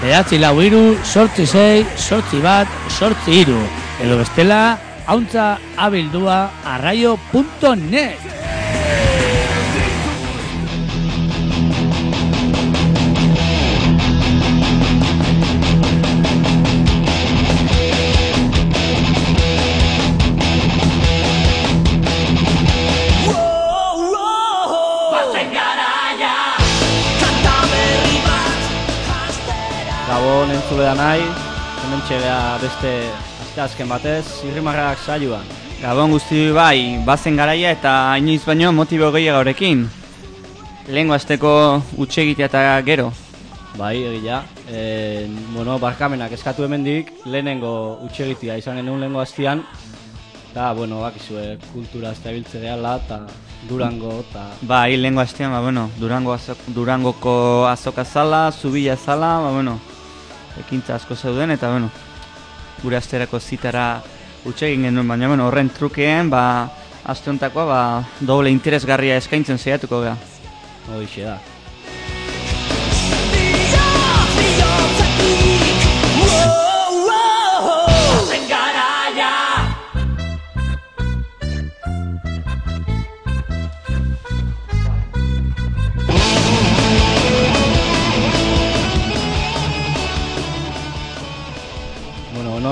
944-846-841, edo bestela auntzaabildua@arraio.net. Gabon entzulea nahi, hemen txegea beste asteazken batez, Zirrimarrak saioan. Gabon guzti bai, bazen garaia eta inoiz baino motibo gehiago horrekin. Lehengo asteko utxegitea eta gero. Bai, egia. Barkamenak eskatu hemendik, lehenengo utxegitea izan genuen lehengo astean. Eta, bakizue, kultura ez da biltze gehala eta Durango eta... Bai, lehengo astean, Durangoko azoka zala, Zubila zala, ekintza asko zeuden eta, gure asterako zitara utxegin genuen, baina, horren trukeen, aste honetakoa, doble interesgarria eskaintzen saiatuko gara. Horixe da.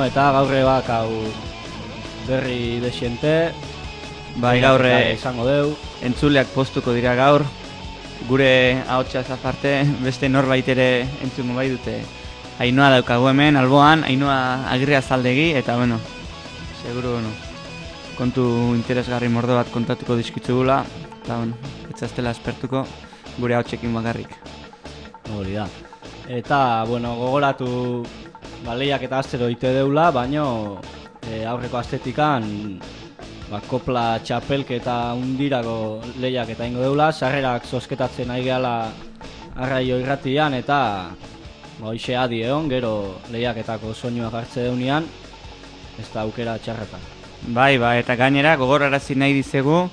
Eta gaurre hau berri desiente. Bai, gaurre izango deu. Entzuleak postuko dira gaur. Gure ahotsaz aparte beste norbait ere entzungo bai dute. Ainhoa daukagu hemen alboan, Ainhoa Agirrezaldegi eta seguru kontu interesgarri mordo bat kontatuko dizkitzugula eta ez zaztela espertuko gure ahotsekin bakarrik. Hori da. Eta gogoratu lehiak eta astero ite deula, baino aurreko astetikan kopla txapelketa undirako lehiak eta ingo deula, sarrerak zozketatzen ari gehala Arraio irratian eta hoxe adi egon, gero lehiaketako soinua jartze deunean, ez da aukera txarretan. Bai, eta gainera gogorarazi nahi dizegu,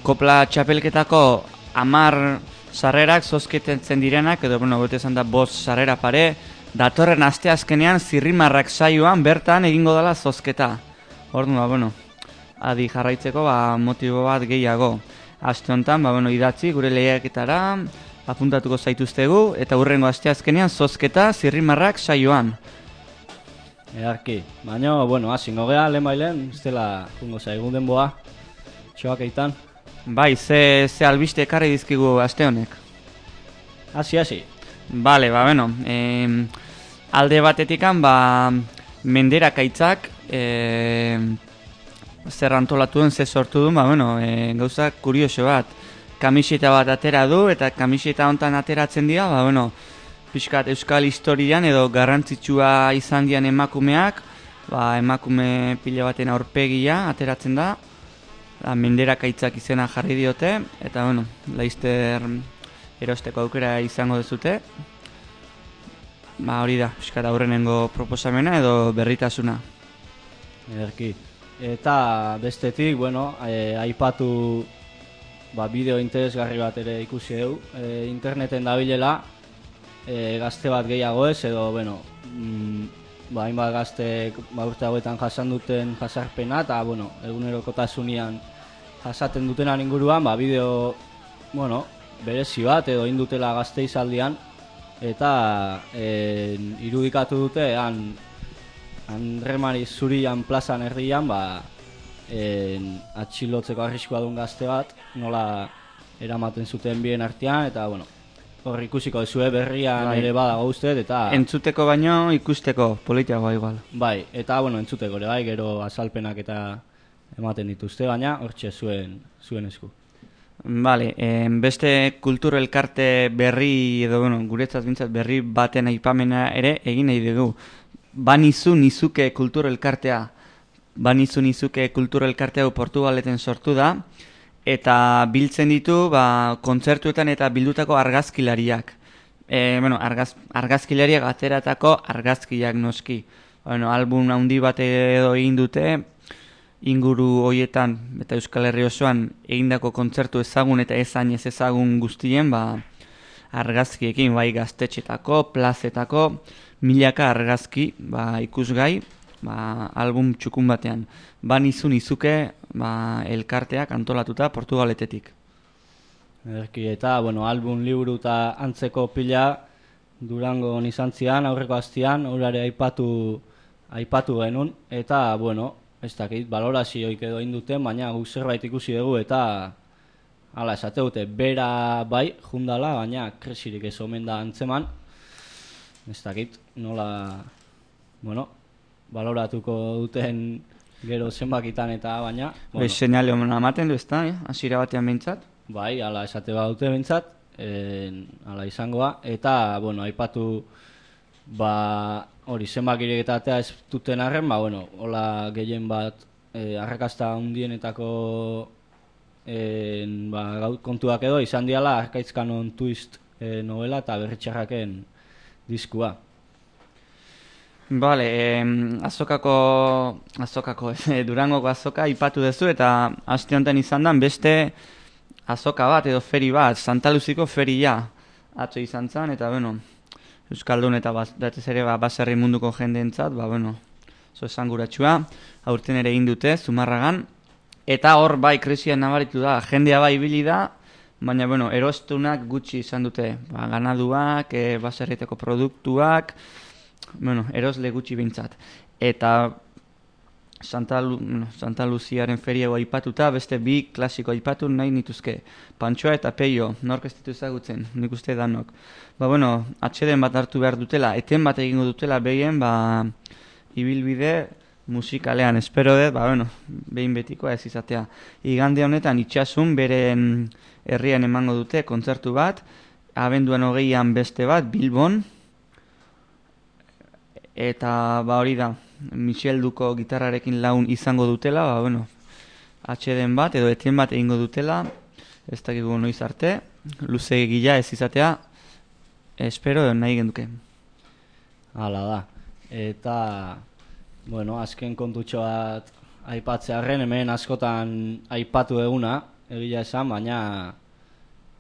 kopla txapelketako 10 sarrerak zozketatzen direnak, edo bete esan da 5 sarrera pare, datorren asteazkenean Zirrimarrak saioan bertan egingo dela zozketa. Orduan, adi jarraitzeko motibo bat gehiago. Aste honetan, idatzi gure lehiaketara apuntatuko zaituztegu eta hurrengo asteazkenean zozketa Zirrimarrak saioan. Edarki, baina, hasingo gea, lehen, ez dela jungo zaigun denboa, txoak eitan. Bai, ze albiste ekarri dizkigu aste honek? Hasi. Bale, alde batetikan, menderakaitzak zer antolatu duen, ze sortu duen, gauza kurioso bat. Kamiseta bat atera du, eta kamiseta hontan ateratzen dira, pixkat euskal historian edo garrantzitsua izan dian emakumeak, emakume pila baten aurpegia ateratzen da, menderakaitzak izena jarri diote, eta laizter erosteko aukera izango dezute. Hori da, pixkat aurrenengo proposamena edo berritasuna. Ederki. Eta bestetik, aipatu bideo interesgarri bat ere ikusi dugu. Interneten dabilela, gazte bat gehiago ez, edo, hainbat gazte urte hauetan jasan duten jasarpena, eta, egunerokotasunean jasaten dutenan inguruan, bideo, berezi bat edo indutela gazte izaldian, eta irudikatu dute Andremari Zurian plazan erdian atxilotzeko arriskua duen gazte bat, nola eramaten zuten bien artean, eta hor ikusiko dezue berrian ere badago uste, eta... Entzuteko baino ikusteko, politiagoa igual. Bai, eta entzuteko ere gero azalpenak eta ematen dituzte, baina hortxe zuen esku. Bale, beste kultur elkarte berri edo, guretzat bintzat berri baten aipamena ere egin nahi dugu. Banizu Nizuke kultur elkartea. Banizu Nizuke kultur elkartea Portugaleten sortu da, eta biltzen ditu kontzertuetan eta bildutako argazkilariak. Argazkilariak ateratako argazkiak noski. Album handi bat edo egin dute, inguru hoietan eta Euskal Herri osoan egindako kontzertu ezagun eta ez ezagun guztien argazkiekin, bai gaztetxetako, plazetako, milaka argazki, ikusgai, album txukun batean. Izuke, elkarteak antolatuta Portugaletetik. Ederki, eta, album, liburu eta antzeko pila Durango izan zian, aurreko astian, horare aipatu genuen, eta, ez dakit, balorazioik edo induten, baina guk zerbait ikusi dugu, eta hala, esate dute, bera bai, jundala, baina kresirik ez omen da antzeman, ez dakit, nola, baloratuko duten gero zenbakitan eta baina... Seinale omen ematen du ez da, hasiera batean behintzat? Bai, hala, esate badute behintzat, hala izangoa, eta, aipatu, hori zenbakirik eta atea ez duten arren, hola gehien bat, arrakasta hundienetako kontuak edo, izan diala Arkaitzkanon Twist novela eta Berritxarraken diskua. Bale, Durangoko azoka aipatu duzu eta aste honetan izan da beste azoka bat edo feri bat, Santa Luziko feria atzo izan zen, eta Euskaldun eta batez ere baserri munduko jendeentzat, oso esanguratsua, aurten ere egin dute, Zumarragan, eta hor bai krisian nabaritu da, jendea bai ibili da, baina erostunak gutxi izan dute, ganaduak, baserriteko produktuak, erosle gutxi bintzat. Eta Santa Luziaren feria aipatuta, beste bi klasiko aipatu nahi nituzke. Pantxoa eta Peio, nork ez ditu ezagutzen, nik uste danok. Atxeden bat hartu behar dutela, eten bat egingo dutela behien, ibilbide musikalean, espero dut, behin betikoa ez izatea. Igande honetan itxasun beren herrian emango dute kontzertu bat, abenduan 20an beste bat, Bilbon, eta hori da, Michel Duko gitarrarekin laun izango dutela, atxeden bat edo etien bat egingo dutela, ez dakigu noiz arte, luze gila ez izatea, espero edo nahi genduke. Hala da, eta, azken kontutxo bat aipatzearren, hemen askotan aipatu eguna, egia esan, baina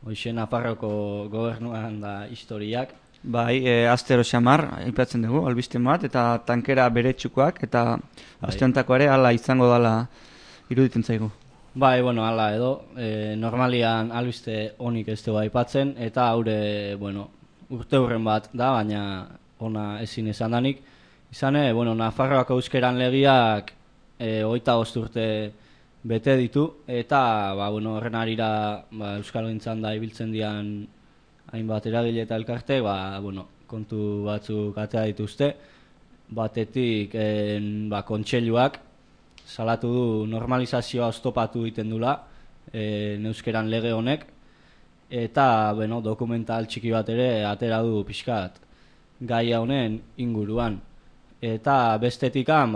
hoxe Nafarroko gobernuan da historiak. Bai, astero xamar, aipatzen dugu, albiste bat, eta tankera beretsukoak, eta asteontako ere hala izango dala iruditzen zaigu. Bai, hala edo, normalian albiste honik ez dugu aipatzen, eta haure, urte hurren bat da, baina ona ezin esan danik. Izane, Nafarroako euskeran legiak 25 urte bete ditu, eta horren arira euskalgintzan da ibiltzen dian hainbat eragile eta elkarte, kontu batzuk atea dituzte. Batetik, kontseiluak salatu du normalizazioa oztopatu egiten dula euskeran lege honek, eta dokumental txiki bat ere atera du pixkat gaia honen inguruan. Eta bestetikan,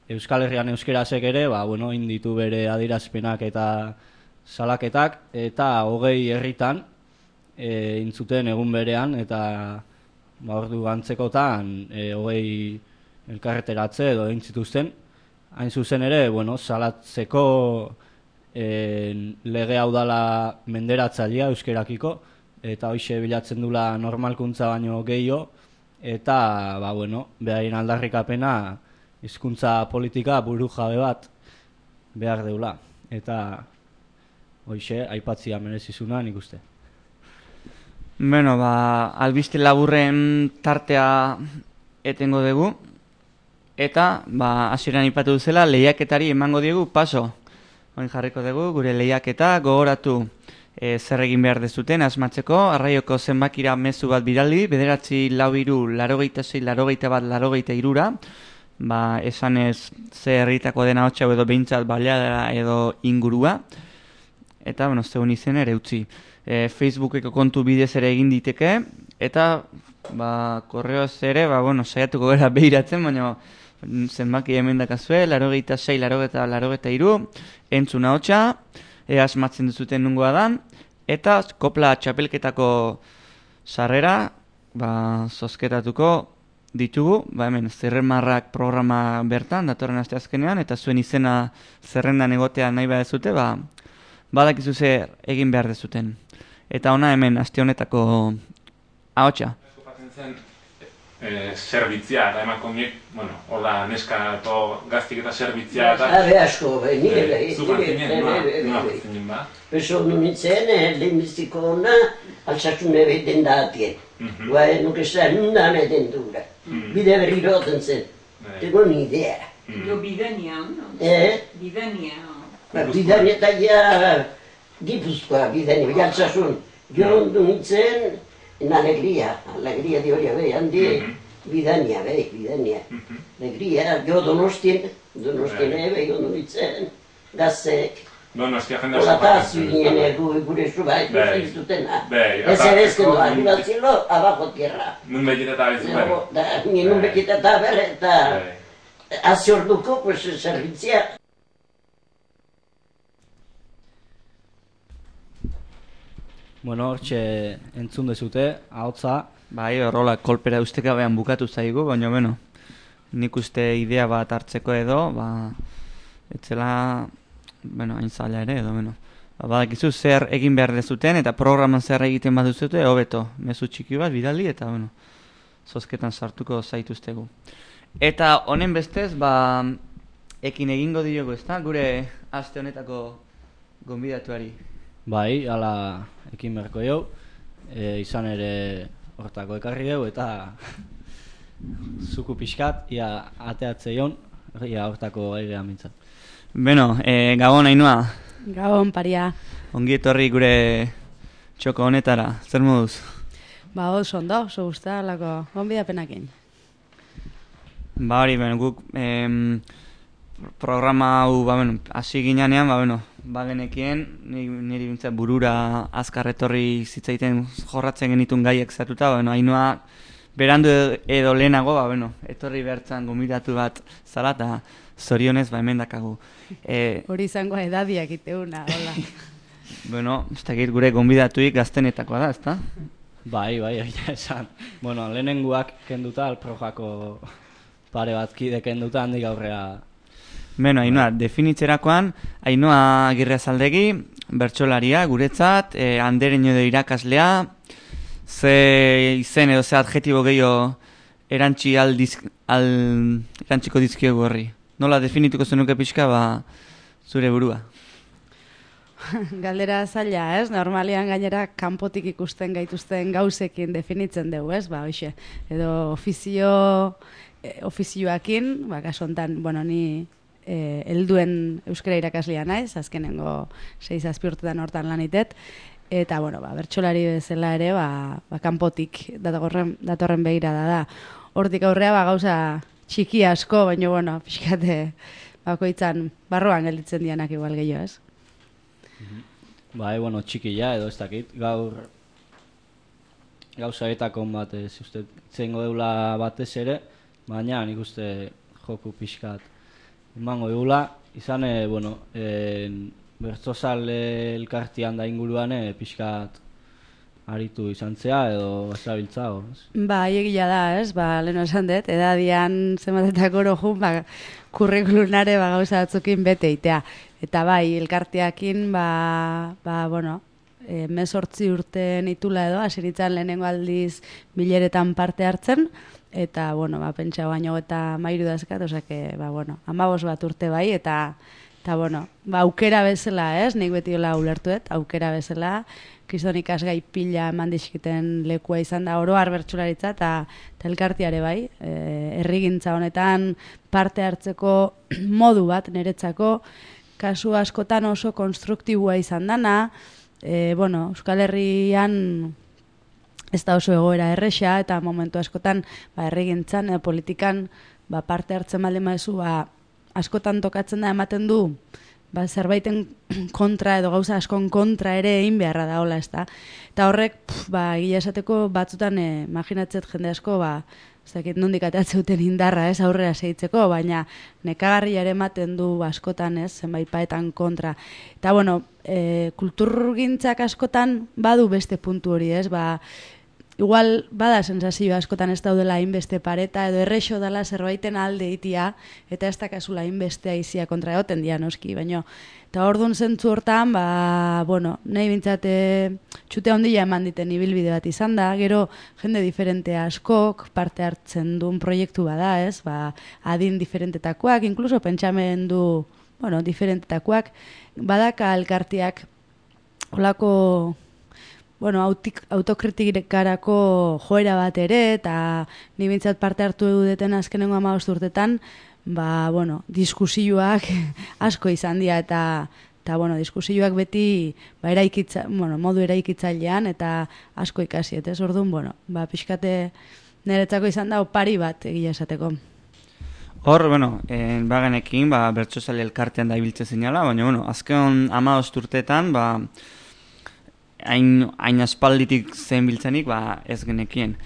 Euskal Herrian euskerazek ere, inditu bere adierazpenak eta salaketak, eta 20 herritan intzuten egun berean, eta ordu antzekotan 20 elkarreteratze edo intzituzten. Hain zuzen ere, salatzeko lege hau dala menderatzailea euskerakiko, eta hoxe bilatzen dula normalkuntza baino gehiago, eta behaien aldarrikapena hizkuntza politika buru jabe bat behar deula. Eta hoxe aipatzia merezizuna nik uste. Albiste laburren tartea etengo dugu, eta hasieran aipatu duzela lehiaketari emango diegu paso. Oin jarriko dugu gure lehiaketa, gogoratu zer egin behar dezuten asmatzeko, arraioko zenbakira mezu bat bidaldi, 9-4-86-81-83, esanez ze herritako dena hotxa edo behintzat baleadera edo ingurua, eta zeun izen ere utzi. Facebookeko kontu bidez ere egin diteke, eta korreoz ere, saiatuko gara behiratzen, baina zenbaki hemen dakazue, 86-83, entzuna hotxa, asmatzen duzuten nungoa dan, eta kopla txapelketako sarrera zozketatuko ditugu, hemen Zerremarrak programa bertan, datorren aste azkenean, eta zuen izena zerrendan egotea nahi badezute, badakizu zer egin behar dezuten. Eta ona hemen aste honetako ahotsa. Zerbitzia, eta emakumeek, hola, neska gaztik eta zerbitzia eta... Asko, nire zinen ba? Beso nintzen, lehenbiziko ona, altsasune beten datien. Nuke esan nana den dura. Bide berri roten zen. Tego ni idea. Jo bidania, no? Bidania. Bidania eta ja Gipuzkoa, bidania, altsasun. Jo nintzen, alegria di hori abe, handi bidania, bidania. Alegria, jo Donostien ebe, jo nintzen, gazek. Donostia jendea Olataz ginen gure zubait, zutena. Ez ere ezken doa, arribatzilo, abajo tierra. Nun bekita eta bezu Nun bekita eta berre, eta aziorduko, pues, zerbitzia. Bueno, hortxe entzun dezute, ahotsa. Bai, horrola kolpera ustekabean bukatu zaigu, baina nik uste idea bat hartzeko edo, etzela, hain zaila ere edo, badakizu zer egin behar dezuten eta programan zer egiten baduzute, hobeto, mezu txiki bat bidali eta, zozketan sartuko zaituztegu. Eta honen bestez, ekin egingo diogu, ezta? Gure aste honetako gonbidatuari. Bai, ala ekin beharko jau, izan ere hortako ekarri dugu eta zuku pixkat, ia ateatze jon, ia hortako airean mintzat. Gabon, Ainhoa. Gabon, paria. Ongi etorri gure txoko honetara, zer moduz? Oso ondo, oso guztia, lako gonbidapenakin. Hori, guk programa hau, hasi ginean, bagenekien, niri bintzat burura azkar etorri zitzaiten jorratzen genitun gaiek zatuta, Ainhoa berandu edo lehenago, etorri behartzen gonbidatu bat zala, eta zorionez, hemen dakagu. Hori izango edadiak iteuna, hola. Ez dakit gure gonbidatuik gaztenetakoa da, ezta? Bai, esan. Lehenenguak kenduta, alprojako pare bat kide kenduta, handik aurrea. Ainhoa, definitzerakoan, Ainhoa Agirrezaldegi, bertsolaria, guretzat, Andereño edo irakaslea, ze izen edo ze adjetibo gehiago erantziko dizkiogu horri. Nola definituko zenuke pixka, zure burua? Galdera zaila, ez? Normalian gainera kanpotik ikusten gaituzten gauzekin definitzen dugu, ez? Hoxe, edo ofizioakin, kaso hontan, ni helduen euskara irakaslea naiz, azkenengo 6-7 urtetan hortan lanitet, eta, bertsolari bezala ere, kanpotik datorren begirada da. Hortik aurrea, gauza txiki asko, baina, pixkate, bakoitzan barruan gelditzen dianak igual gehiago, ez? Bai, txikia edo ez dakit, gaur gauza etakon bat ez uste zengo deula batez ere, baina nik uste joku pixkat emango deula, izan, bertzozal elkartian da inguruan pixkat aritu izan zea edo bazabiltzago. Egia da, ez? Leheno esan dut, edadian zematetako orojun, kurrikulunare gauza batzukin bete itea. Eta elkarteakin, 18 urte nitula edo, hasiritzan lehenengo aldiz bileretan parte hartzen, eta, pentsa baino eta mairu dazkat, osake, 15 bat urte eta aukera bezala, ez? Nik beti hola ulertuet, aukera bezala, kriston ikasgai pila eman dizkiten lekua izan da oro bertsolaritza eta elkartiare bai, herrigintza honetan parte hartzeko modu bat niretzako, kasu askotan oso konstruktiboa izan dana, Euskal Herrian ez da oso egoera erresa eta momentu askotan herrigintzan, politikan parte hartzen baldin baduzu, askotan tokatzen da ematen du zerbaiten kontra edo gauza askon kontra ere egin beharra da hola, ezta. Eta horrek, egia esateko batzutan imaginatzet jende asko, nondik ateatzen duten indarra, ez, aurrera segitzeko, baina nekagarria ere ematen du askotan, ez, zenbait paetan kontra. Eta, kulturgintzak askotan badu beste puntu hori, ez, igual bada sensazio askotan ez daudela hainbeste pareta, edo errexo dela zerbaiten alde itia, eta ez dakazula hainbeste aizia kontra egoten dia noski, baina eta orduan zentzu hortan, nahi bintzate txute handia eman diten ibilbide bat izan da, gero jende diferente askok parte hartzen duen proiektu bada, ez? Adin diferentetakoak, inkluso pentsamendu, diferentetakoak, badaka elkartiak olako autokritikarako joera bat ere, eta ni bintzat parte hartu eduten azkenengo 15 urtetan, diskusioak asko izan dira, eta diskusioak beti modu eraikitzailean, eta asko ikasi, eta ez orduan, pixkate niretzako izan da opari bat egia esateko. Hor, bagenekin, bertsozale elkartean da ibiltze zinala, baina, azken 15 urteetan, hain aspalditik zen biltzenik, ez genekien.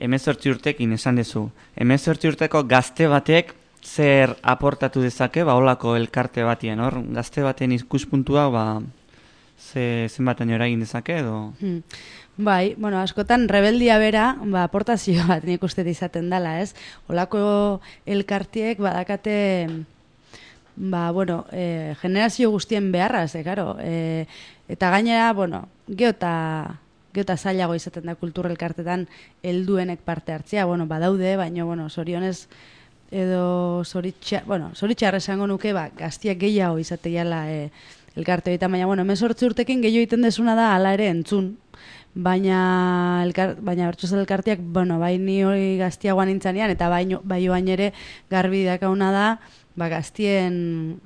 18 urtekin esan dezu. 18 urteko gazte batek zer aportatu dezake, holako elkarte batien, hor? Gazte baten ikuspuntua, zenbaten eragin dezake, edo? Bai, askotan rebeldia bera, aportazio bat nik uste izaten dela, ez? Holako elkartiek badakate, generazio guztien beharraz, karo, eta gainera, geota zailago izaten da kultura elkartetan helduenek parte hartzea, badaude, baina, zorionez, edo zoritxarra esango nuke, gaztiak gehiago izateiala elkarte horietan, baina, 18 urtekin gehiago egiten desuna da, hala ere entzun, baina bertsozale elkarteak, bai ni hori gaztiagoan nintzanean, eta bai oain ere garbi dakauna da, gaztien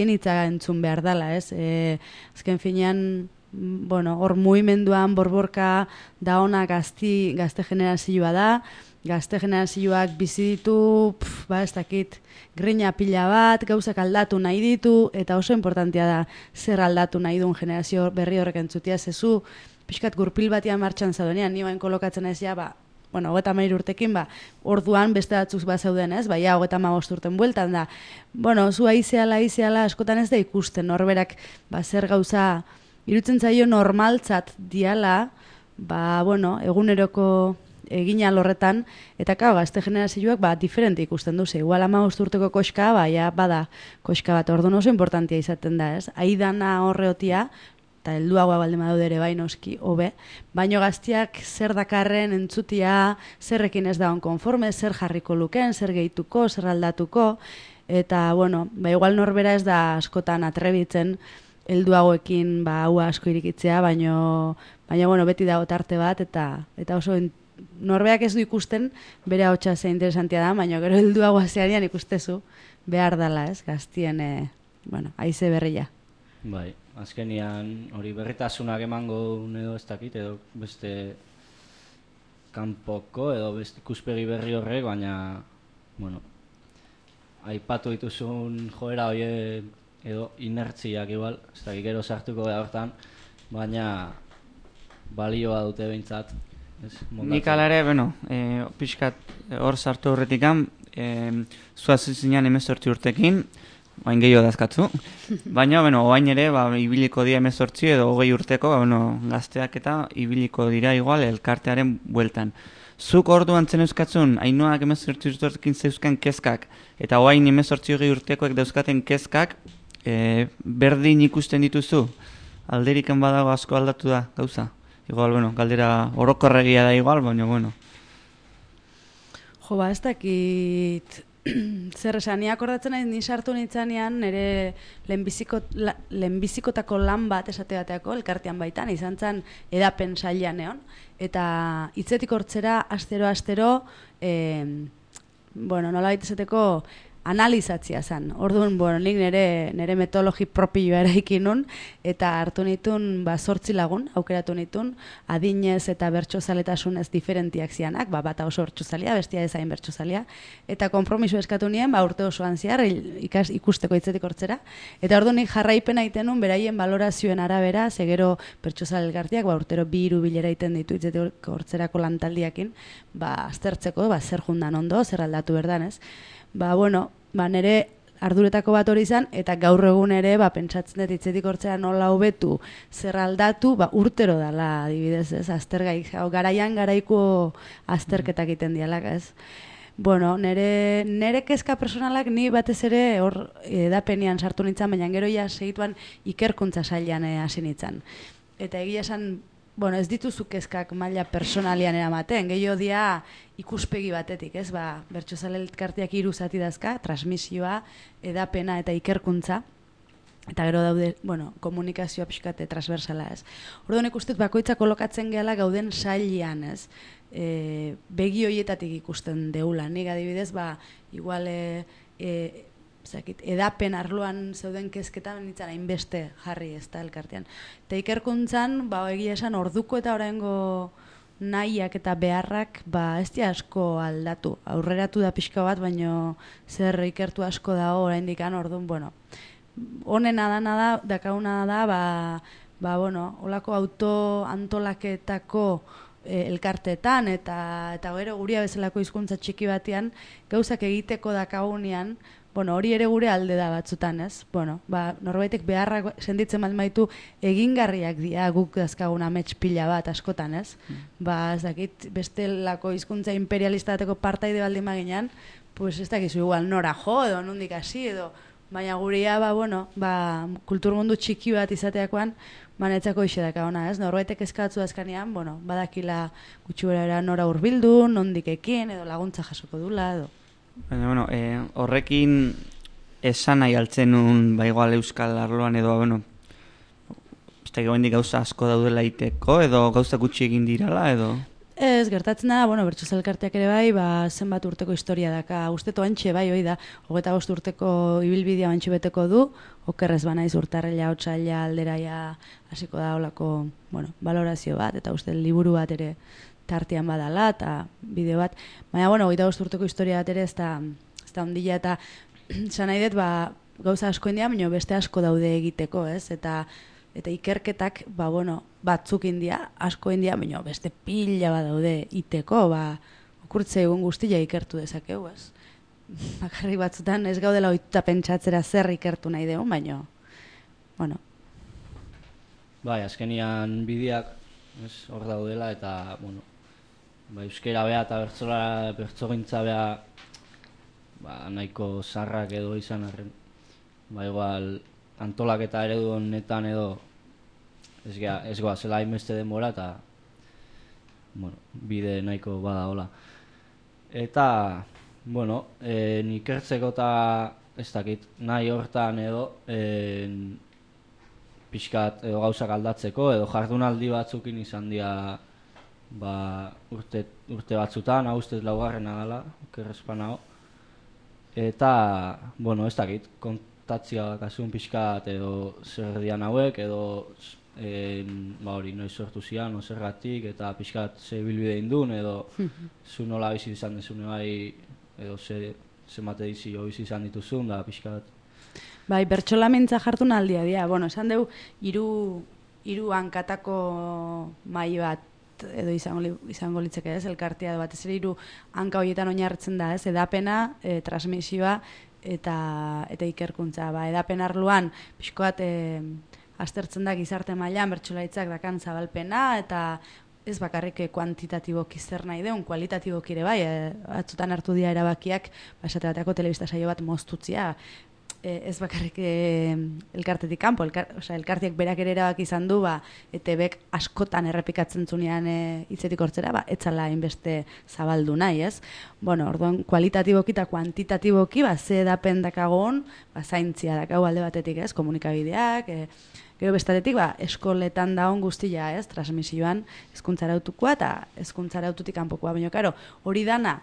hitza entzun behar dela, ez? Azken finean, hor mugimenduan borborka da ona gazte generazioa da, gazte generazioak bizi ditu, ez dakit, grina pila bat, gauzak aldatu nahi ditu, eta oso importantea da zer aldatu nahi duen generazio berri horrek entzutia, zezu, pixkat gurpil batian martxan zaudenean, ni bain kolokatzen ez ja, 33 urtekin, orduan beste batzuk zauden, ez? 35 urten bueltan da. Zu aizeala, askotan ez da ikusten, norberak, zer gauza, irutzen zaio normaltzat diala, eguneroko egin alorretan, eta gazte generazioak, diferente ikusten duze. Igual 15 urteko koska, bada koska bat, orduan oso importantia izaten da, ez? Aidana horreotia, eta helduagoa baldin badaude ere noski hobe, baino gaztiak zer dakarren entzutia, zerrekin ez dagoen konforme, zer jarriko luken, zer gehituko, zer aldatuko, eta, igual norbera ez da askotan atrebitzen helduagoekin hau asko irikitzea, baino, beti dago tarte bat, eta oso norbeak ez du ikusten, bere ahotsa ze interesantia da, baino gero helduagoa zearian ikustezu behar dela, ez, gaztien, haize berria. Bai. Azkenian hori berritasunak emango edo ez dakit, edo beste kanpoko edo beste ikuspegi berri horrek, baina, aipatu dituzun joera hori edo inertziak igual, ez dakit gero sartuko da hortan, baina balioa dute behintzat. Nik alare, pixkat hor sartu horretikan, zuazizinean 18 urtekin, oain gehiago dazkatzu, baina, oain ere, ibiliko dira 18 edo 20 urteko, gazteak eta ibiliko dira igual elkartearen bueltan. Zuk orduan zen euskatzun, hainoak 18 urtekin zeuzkan kezkak, eta oain 18 urtekoek dauzkaten kezkak, berdin ikusten dituzu, alderiken badago asko aldatu da, gauza. Igual, galdera orokorregia da igual, baina, Jo, ez dakit... Zer esan, ni akordatzen nahi, ni sartu nintzanean, nire lehenbizikotako lan bat esate bateako, elkartean baitan, izan zen edapen sailean egon, eta hitzetik hortzera, astero, nola baita esateko, analizatzia zen. Orduan, nik nire metodologi propioa eraikin nun, eta hartu nitun 8 lagun, aukeratu nitun, adinez eta bertsozaletasunez diferentiak zianak, bata oso bertsozalia, bestia ezain bertsozalia, eta konpromiso eskatu nien, urte osoan zehar, ikusteko hitzetik hortzera, eta orduan nik jarraipena egiten nun, beraien balorazioen arabera, zegero bertsozale elkarteak, urtero 2 bilera egiten ditu hitzetik hortzerako lantaldiakin, aztertzeko, zer jundan ondo, zer aldatu berdan, ez? Nire arduretako bat hori izan, eta gaur egun ere, pentsatzen dut hitzetik hortzea nola hobetu, zer aldatu, urtero dala, adibidez, ez, aztergaik, garaian garaiko azterketak egiten dialak, ez. Bueno, nere kezka personalak ni batez ere hor edapenean sartu nintzen, baina gero ja segituan ikerkuntza sailean hasi nintzen. Eta egia esan, bueno, ez dituzu kezkak maila personalian eramaten, gehiago dia ikuspegi batetik, ez? Bertsozale elkarteak 3 zati dazka, transmisioa, edapena eta ikerkuntza, eta gero daude, bueno, komunikazioa pixkate transversala, ez? Orduan ikustez bakoitza kolokatzen gehala gauden sailean, ez? Begi horietatik ikusten deula. Nik adibidez, igual edapen arloan zeuden kezketan nintzen hainbeste jarri ez da elkartean. Eta ikerkuntzan, egia esan orduko eta oraingo nahiak eta beharrak ez dira asko aldatu. Aurreratu da pixka bat, baino zer ikertu asko dago oraindik orduan, bueno, honena da, dakauna da, bueno, holako autoantolaketako elkarteetan eta gero guria bezalako hizkuntza txiki batean gauzak egiteko dakagunean, bueno, hori ere gure alde da batzutan, ez? Bueno, norbaitek beharrak sentitzen baitu egingarriak dira guk dazkagun amets pila bat askotan, ez? Ez dakit, bestelako hizkuntza imperialista bateko partaide baldin baginan, pues ez dakizu igual nora jo edo nondik hasi edo, baina gurea, bueno, kulturmundu txiki bat izateakoan, manetzako isedaka ona, ez? Norbaitek eskatzu azkanean, bueno, badakila gutxi nora hurbildu, nondik ekin edo laguntza jasoko dula edo. Baina, bueno, horrekin esan nahi altzen nun, igual euskal arloan edo, bueno, ez da gomendik gauza asko daudela iteko edo gauza gutxi egin dirala edo? Ez, gertatzen da, bueno, Bertsozale elkarteak ere zenbat urteko historia daka, usteto antxe hoi da, 25 urteko ibilbidea antxe beteko du, okerrez banaiz urtarrela, otsaila, alderaia, hasiko da olako, bueno, valorazio bat, eta uste liburu bat ere tartean badala, eta bideo bat, baina, bueno, 25 urteko historia bat ere ez da ondila, eta zan nahi dut, gauza asko india, baina beste asko daude egiteko, ez, eta ikerketak, bueno, batzuk india, asko india, baina beste pila bat daude iteko, okurtze egun guztia ikertu dezakegu, ez. Bakarrik batzutan ez gaudela ohituta pentsatzera zer ikertu nahi dugu, baina, bueno. Azkenian bideak hor daudela eta, bueno, euskera bea eta bertzogintza bea nahiko zarrak edo izan arren. Igual, antolaketa eredu honetan edo ez goa zela hainbeste denbora eta bueno, bide nahiko bada hola. Eta, bueno, ikertzeko eta ez dakit, nahi hortan edo pixkat edo gauzak aldatzeko edo jardunaldi batzukin izan dira urte batzutan, hau ustez laugarrena dela, okerrezpan hau. Eta, bueno, ez dakit, kontatzia kasun pixkat edo zer dian hauek edo hori noiz sortu zian, zergatik eta pixkat ze bilbide indun edo zu nola bizi izan dezune bai edo ze mate dizi bizi izan dituzun da pixkat. Bertsolamintza jardunaldia dira, bueno, esan dugu hiru hankatako mahai bat edo izango litzeke ez, elkartea batez ere 3 hanka horietan oinarritzen da ez, edapena, transmisioa eta ikerkuntza. Edapen arloan pixko bat aztertzen da gizarte mailan bertsolaritzak dakan zabalpena eta ez bakarrik kuantitatiboki zer nahi deun, kualitatiboki ere bai, batzutan hartu dira erabakiak, esate bateko telebista saio bat moztutzia, ez bakarrik elkartetik kanpo, elkarteak berak ere erabaki izan du, ETBek askotan errepikatzen zunean hitzetik hortzera, etzala hainbeste zabaldu nahi, ez? Bueno, orduan, kualitatiboki eta kuantitatiboki, ze edapen dakagon, zaintzia dakau alde batetik, ez? Komunikabideak, gero bestatetik, eskoletan daun guztia, ez? Transmisioan, hezkuntzarautukoa eta hezkuntzaraututik kanpokoa, baina, karo, hori dana,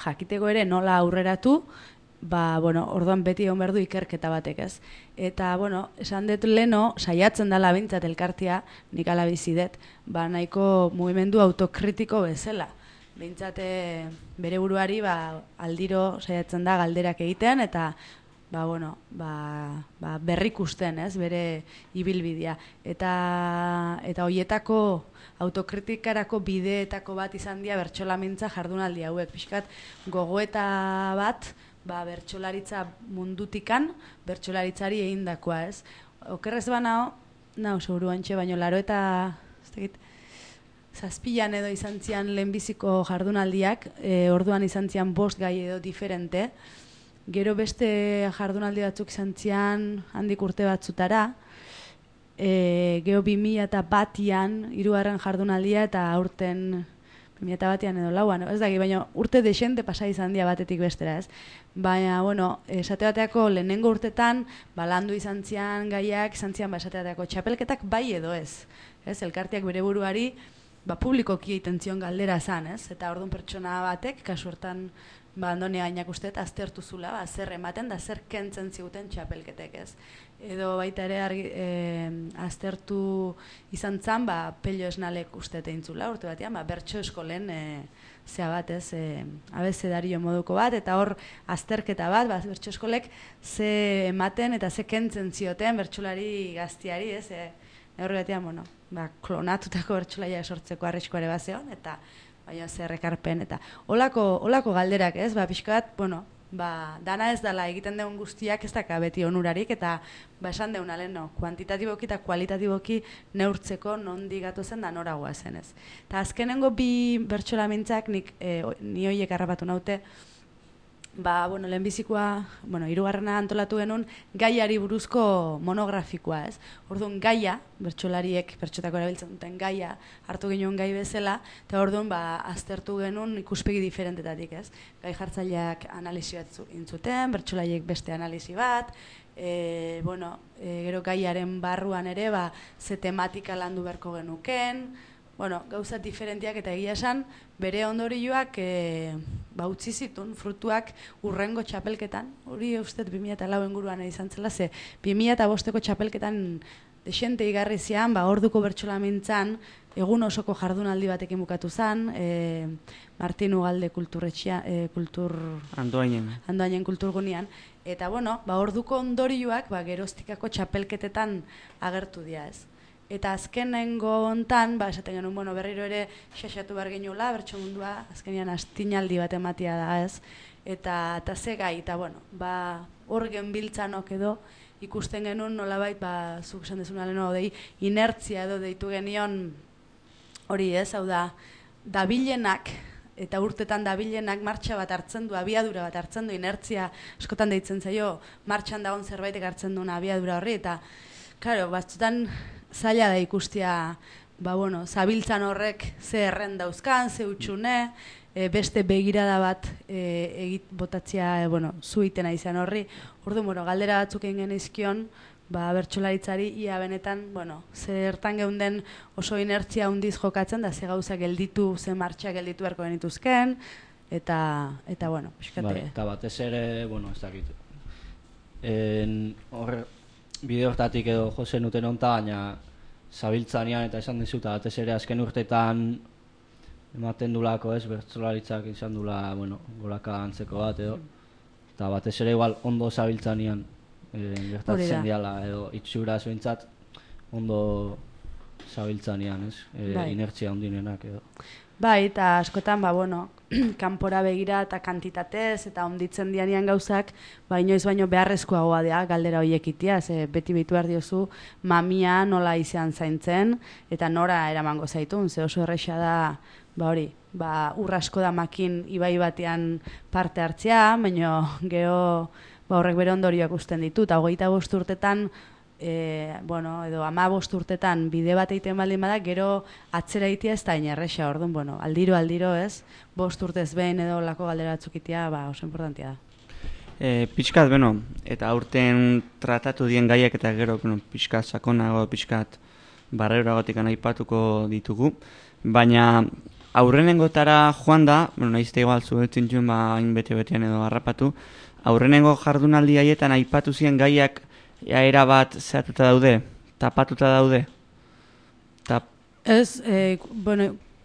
jakiteko ere nola aurreratu, bueno, orduan beti egon behar du ikerketa batek, ez? Eta, bueno, esan dut leno, saiatzen dela bintzat elkartia, nik ala bizidet, nahiko mugimendu autokritiko bezala. Bintzat bere buruari, aldiro saiatzen da galderak egiten, eta, bueno, berrikusten, ez? Bere ibilbidea. Eta hoietako autokritikarako bideetako bat izan dira bertsolamintza jardunaldi hauek. Pixkat, gogoeta bat, bertsolaritza mundutikan, bertsolaritzari egindakoa, ez? Okerrez banao, seguru antxe, baino laro eta, zazpilan edo izan zian lehenbiziko jardunaldiak, orduan izan zian 5 gai edo diferente, gero beste jardunaldi batzuk izan zian handik urte batzutara, gero 2001an 3. jardunaldia eta aurten 2001an edo 4an, ez daki, baina urte desente pasa izan dia batetik bestera, ez? Baina, bueno, esate bateako lehenengo urtetan, landu izan zian gaiak, izan zian esate bateako txapelketak bai edo ez. Elkarteak bere buruari, publikoki egiten zion galdera zan, ez? Eta orduan pertsona batek, kasu hortan, Andone Gainak usteet, aztertu zula, zer ematen da zer kentzen ziguten txapelketek, ez? Edo baita ere aztertu izan zan, Pello Esnalek usteet egin zula, urte batean, bertso eskolen zea bat, ez? Abezedario moduko bat, eta hor azterketa bat, bertso eskolek ze ematen eta ze kentzen zioten bertsolari gaztiari, ez? Horre batean, bueno, klonatutako bertsolaia sortzeko arriskoare bat zeon, eta baina zer ekarpen, eta holako galderak, ez? Pixkat, bueno, dana ez dela egiten deun guztiak ez daka beti onurarik, eta esan deun alen, kuantitatiboki eta kualitatiboki neurtzeko nondi gatu zen da noragoa zen, ez? Eta azkenengo 2 bertsolamintzak ni hoiek harrapatu naute, lehenbizikoa, 3. antolatu genuen gaiari buruzko monografikoa, ez? Orduan gaia, bertsolariek, pertsotako erabiltzen duten gaia, hartu genuen gai bezala, eta orduan aztertu genuen ikuspegi diferentetatik, ez? Gai jartzaileak analisi bat intzuten, bertsolariek beste analisi bat, gero gaiaren barruan ere, ze tematika landu beharko genuken, gauza diferentiak eta egia esan, bere ondorioak utzi zituen frutuak urrengo txapelketan, hori uste 2004 inguruan izan zela, ze 2005ko txapelketan desente igarri zian, orduko bertsolamintzan, egun osoko jardunaldi batekin bukatu zen, Martin Ugalde Andoainen kulturgunean, eta orduko ondorioak geroztikako txapelketetan agertu dira, ez? Eta azkenengo hontan, esaten genuen, berriro ere xaxatu behar genuela, bertso mundua, azkenean astinaldi bat ematia da, ez? Eta ze gai, eta hor genbiltzanok edo, ikusten genuen nolabait, zuk esan dezuna leheno, inertzia edo deitu genion hori, ez? Hau da, dabilenak, eta urtetan dabilenak martxa bat hartzen du, abiadura bat hartzen du, inertzia askotan deitzen zaio, martxan dagoen zerbaitek hartzen duen abiadura horri, eta, klaro, batzutan, zaila da ikustia, zabiltzan horrek ze erren dauzkan, ze utxune, beste begirada bat botatzea, zu itena izan horri. Orduan, galdera batzuk egin genizkion, bertsolaritzari, ia benetan, zertan geunden oso inertzia hundiz jokatzen, da ze gauza gelditu, ze martxa gelditu beharko genituzken, eta piskate. Eta batez ere, ez dakit, bide hortatik edo jozen uten onta, baina zabiltzanean eta esan dizuta, batez ere azken urtetan ematen dulako, ez, bertsolaritzak izan dula, goraka antzeko bat edo, eta batez ere igual ondo zabiltzanean gertatzen diala, edo itxuraz behintzat ondo zabiltzanean, ez, inertzia ondinenak edo. Eta askotan, kanpora begira eta kantitatez eta onditzen dianean gauzak, inoiz baino beharrezkoagoa da galdera horiek itia, beti behitu behar diozu mamia nola izan zaintzen, eta nora eramango zaitun, ze oso erresa da, urra asko da makin ibai batean parte hartzea, baina geho horrek bere ondorioak usten ditu, eta 25 urtetan, edo 15 urtetan bide bat egiten baldin bada, gero atzera egitea ez da inerresa, orduan, aldiro, ez? 5 urtez behin edo lako galdera batzuk itea, oso importantia da. Pixkat, eta aurten tratatu dien gaiak eta gero, pixkat sakonago, pixkat barreroagotik aipatuko ditugu, baina aurrenengotara joan da, nahizte igual zuetzen zuen, hain bete-betean edo harrapatu, aurrenengo jardunaldi haietan aipatu ziren gaiak era bat zehatuta daude, tapatuta daude? Ez,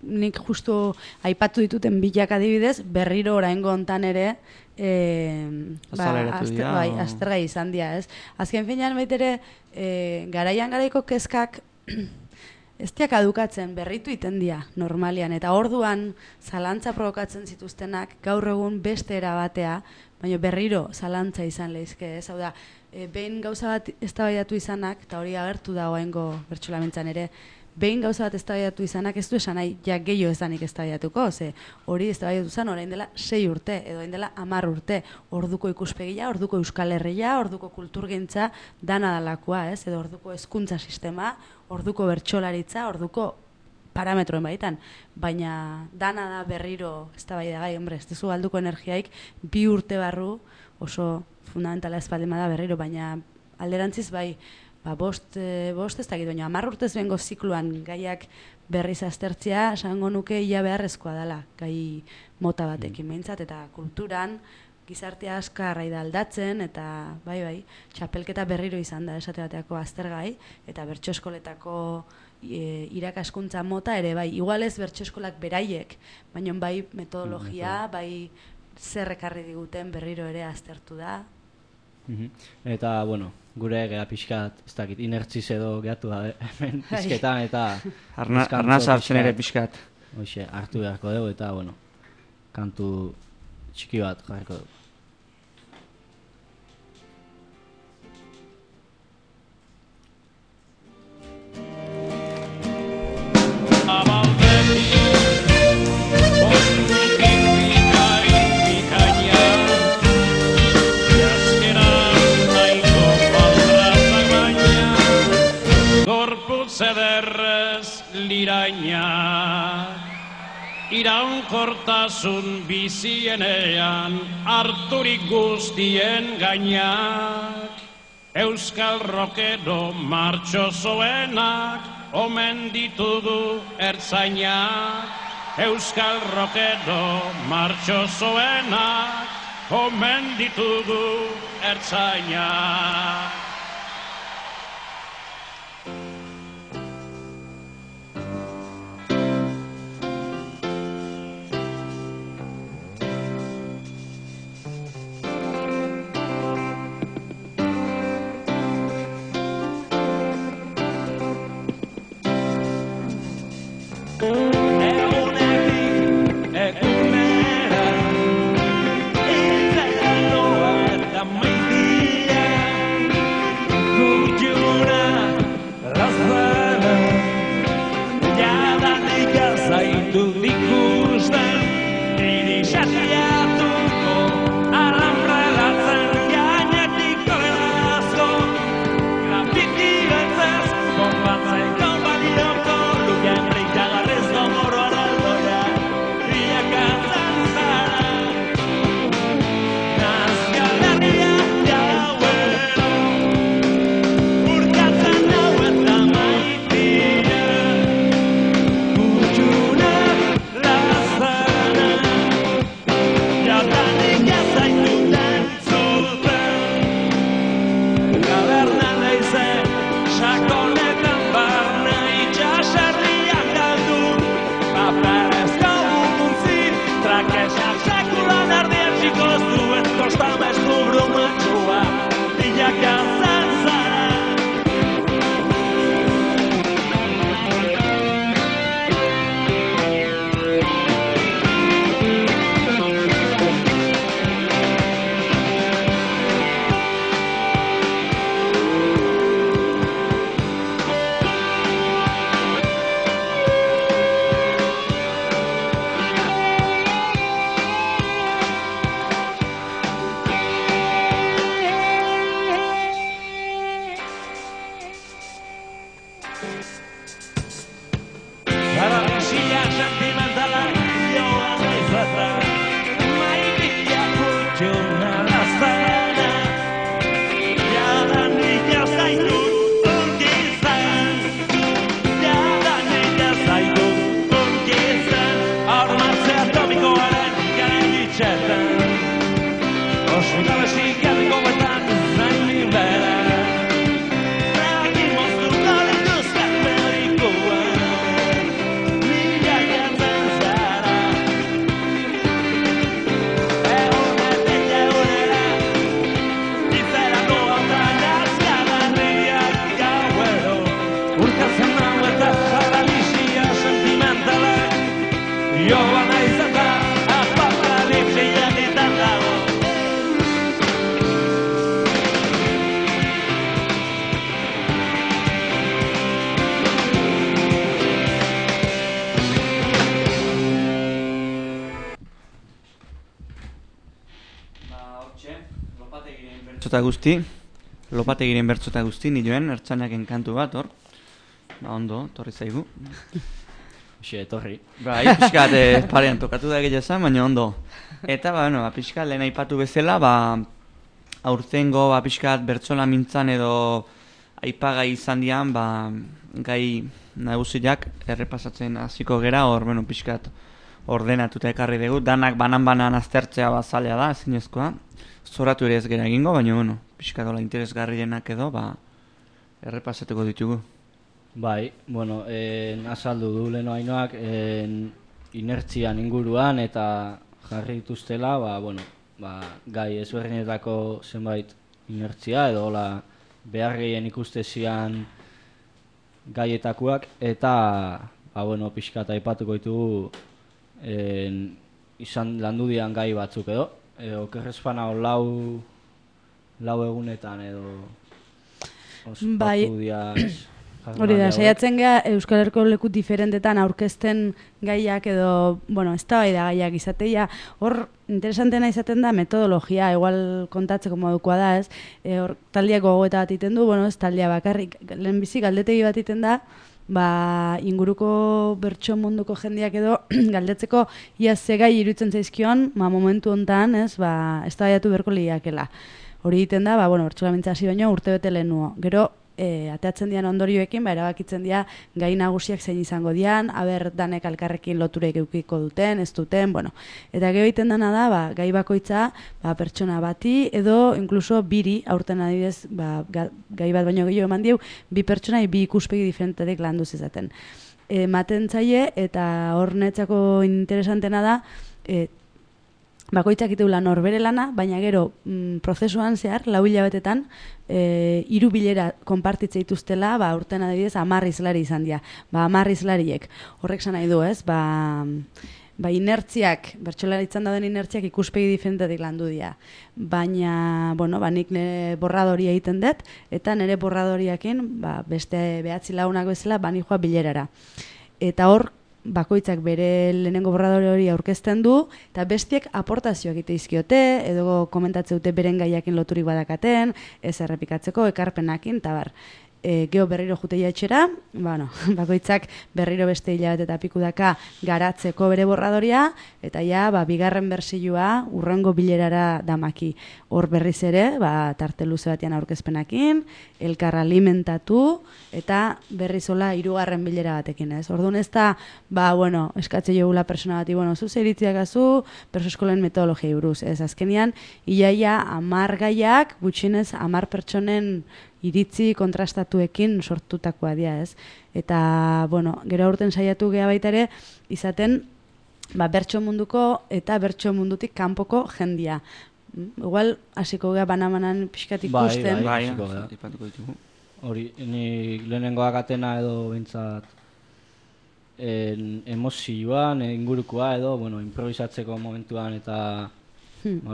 nik justu aipatu dituten bilak adibidez, berriro oraingo hontan ere, aztergai izan dira, ez? Azken finean baitere, garaian garaiko kezkak, ez diak adukatzen, berritu itendia normalian, eta orduan zalantza provokatzen zituztenak gaur egun beste era batea, baina berriro zalantza izan lehizke, ez? Hau da, behin gauza bat eztabaidatu izanak, eta hori agertu da oraingo bertsolamentzan ere, behin gauza bat eztabaidatu izanak ez du esan nahi, ja gehiago ez danik eztabaidatuko, ze hori eztabaidatu zen orain dela 6 urte, edo orain dela 10 urte, orduko ikuspegia, orduko Euskal Herria, orduko kulturgintza, dana dalakoa, ez? Edo orduko hezkuntza sistema, orduko bertsolaritza, orduko parametroen baitan, baina dana da berriro eztabaidagai, hombre, ez duzu galduko energiaik 2 urte barru oso fundamentala ez baldin bada berriro, baina alderantziz bai, bost ez dakit, baina 10 urtez bengo zikluan gaiak berriz aztertzea, esango nuke ia beharrezkoa dela, gai mota batekin behintzat, eta kulturan, gizartea askar da aldatzen, eta bai, txapelketa berriro izan da esate bateako aztergai, eta bertso eskoletako irakaskuntza mota ere bai, igual ez bertso eskolak beraiek, baina bai metodologia, bai zer ekarri diguten berriro ere aztertu da. Eta, bueno, gure gea pixkat, ez dakit, inertziz edo gehatu da, hemen pixketan, eta... Arnaz hartzen ere pixkat. Hoxe, hartu beharko dugu, eta, bueno, kantu txiki bat jarriko dugu. Zederrez liraina iraunkortasun bizienean harturik guztien gainak Euskal Rockero martxosoenak omen ditugu ertzainak Euskal Rockero martxosoenak omen ditugu ertzainak Urkatzen hau eta Lopategiren bertzota guzti, nioen, ertzanaken kantu bat, hor. Ba, ondo, torri zaigu. Xe, torri. Bai, pixkat parean tokatu da egia esan, baina ondo. Eta, pixkat lehen aipatu bezala, aurtengo, pixkat bertsola mintzan edo aipagai izan dian, gai nagusiak errepasatzen hasiko gera, hor, pixkat ordenatuta ekarri dugu. Danak banan-banan aztertzea bazalea da, ezinezkoa. Zoratu ere ez gera egingo, baina, pixkat dola interesgarrienak edo, errepasatuko ditugu. Bai, azaldu du leheno hainoak inertzian inguruan eta jarri dituztela, gai ezberdinetako zenbait inertzia edo behar gehien ikustezian gaietakoak eta pixkat aipatuko ditugu izan landu dian gai batzuk edo okerrezpana lau egunetan edo ospatu diaz. Hori da, saiatzen geha Euskal Herriko leku diferentetan aurkezten gaiak edo, eztabaida gaiak izateia, hor interesantena izaten da metodologia, igual kontatzeko modukoa da, ez? Hor taldiak gogoeta bat iten du, ez taldia bakarrik, lehenbizi galdetegi bat iten da, inguruko bertso munduko jendiak edo galdetzeko ia ze gai iruditzen zaizkion, momentu hontan, ez, eztabaidatu berko liakela. Hori egiten da, bertsola mintza hasi baino urtebete lehenuo. Gero, ateatzen dian ondorioekin, erabakitzen dira gai nagusiak zein izango dian, danek alkarrekin loturek eukiko duten, ez duten, Eta gero egiten dena da, gai bakoitza, pertsona bati, edo inkluso biri, aurten adibidez, gai bat baino gehiago eman diu, bi pertsona, bi ikuspegi diferentetik landu zizaten. Maten zaie, eta hor netzako interesantena da, bakoitzak iteula norbere lana, baina gero prozesuan zehar, 4 hilabetetan, 3 bilera konpartitze dituztela, urten adibidez 10 hizlari izan dira. 10 hizlariek. Horrek esan nahi du, ez? Inertziak, bertsolaritzan dauden inertziak ikuspegi diferentetik landu dira. Baina, nik nire borradoria egiten dut, eta nire borradoriakin, beste 9 lagunak bezala, bani joa bilerara. Eta hor, bakoitzak bere lehenengo borradore hori aurkezten du, eta bestiek aportazioak egite izkiote, edo komentatzen dute beren gaiakin loturik badakaten, ez errepikatzeko, ekarpenakin, eta geho berriro juteia etxera, bakoitzak berriro beste hilabete eta piku daka garatzeko bere borradoria, eta bigarren bersioa urrengo bilerara damaki. Hor berriz ere, tarte luze batean aurkezpenakin, elkar alimentatu, eta berrizola 3. bilera batekin, ez? Orduan ez da, eskatze jogula persona bati, zu zeritziak azu, perso eskolen metodologia buruz, ez? Azkenian, iaia 10 gaiak, gutxinez 10 pertsonen iritzi kontrastatuekin sortutakoa dira, ez? Eta, gero aurten saiatu geha baita ere, izaten, bertso munduko eta bertso mundutik kanpoko jendia. Igual, hasiko geha banamanan pixkat ikusten. Bai, hori, nik lehenengoak atena edo bintzat emozioan, ingurukoa edo, improvisatzeko momentuan eta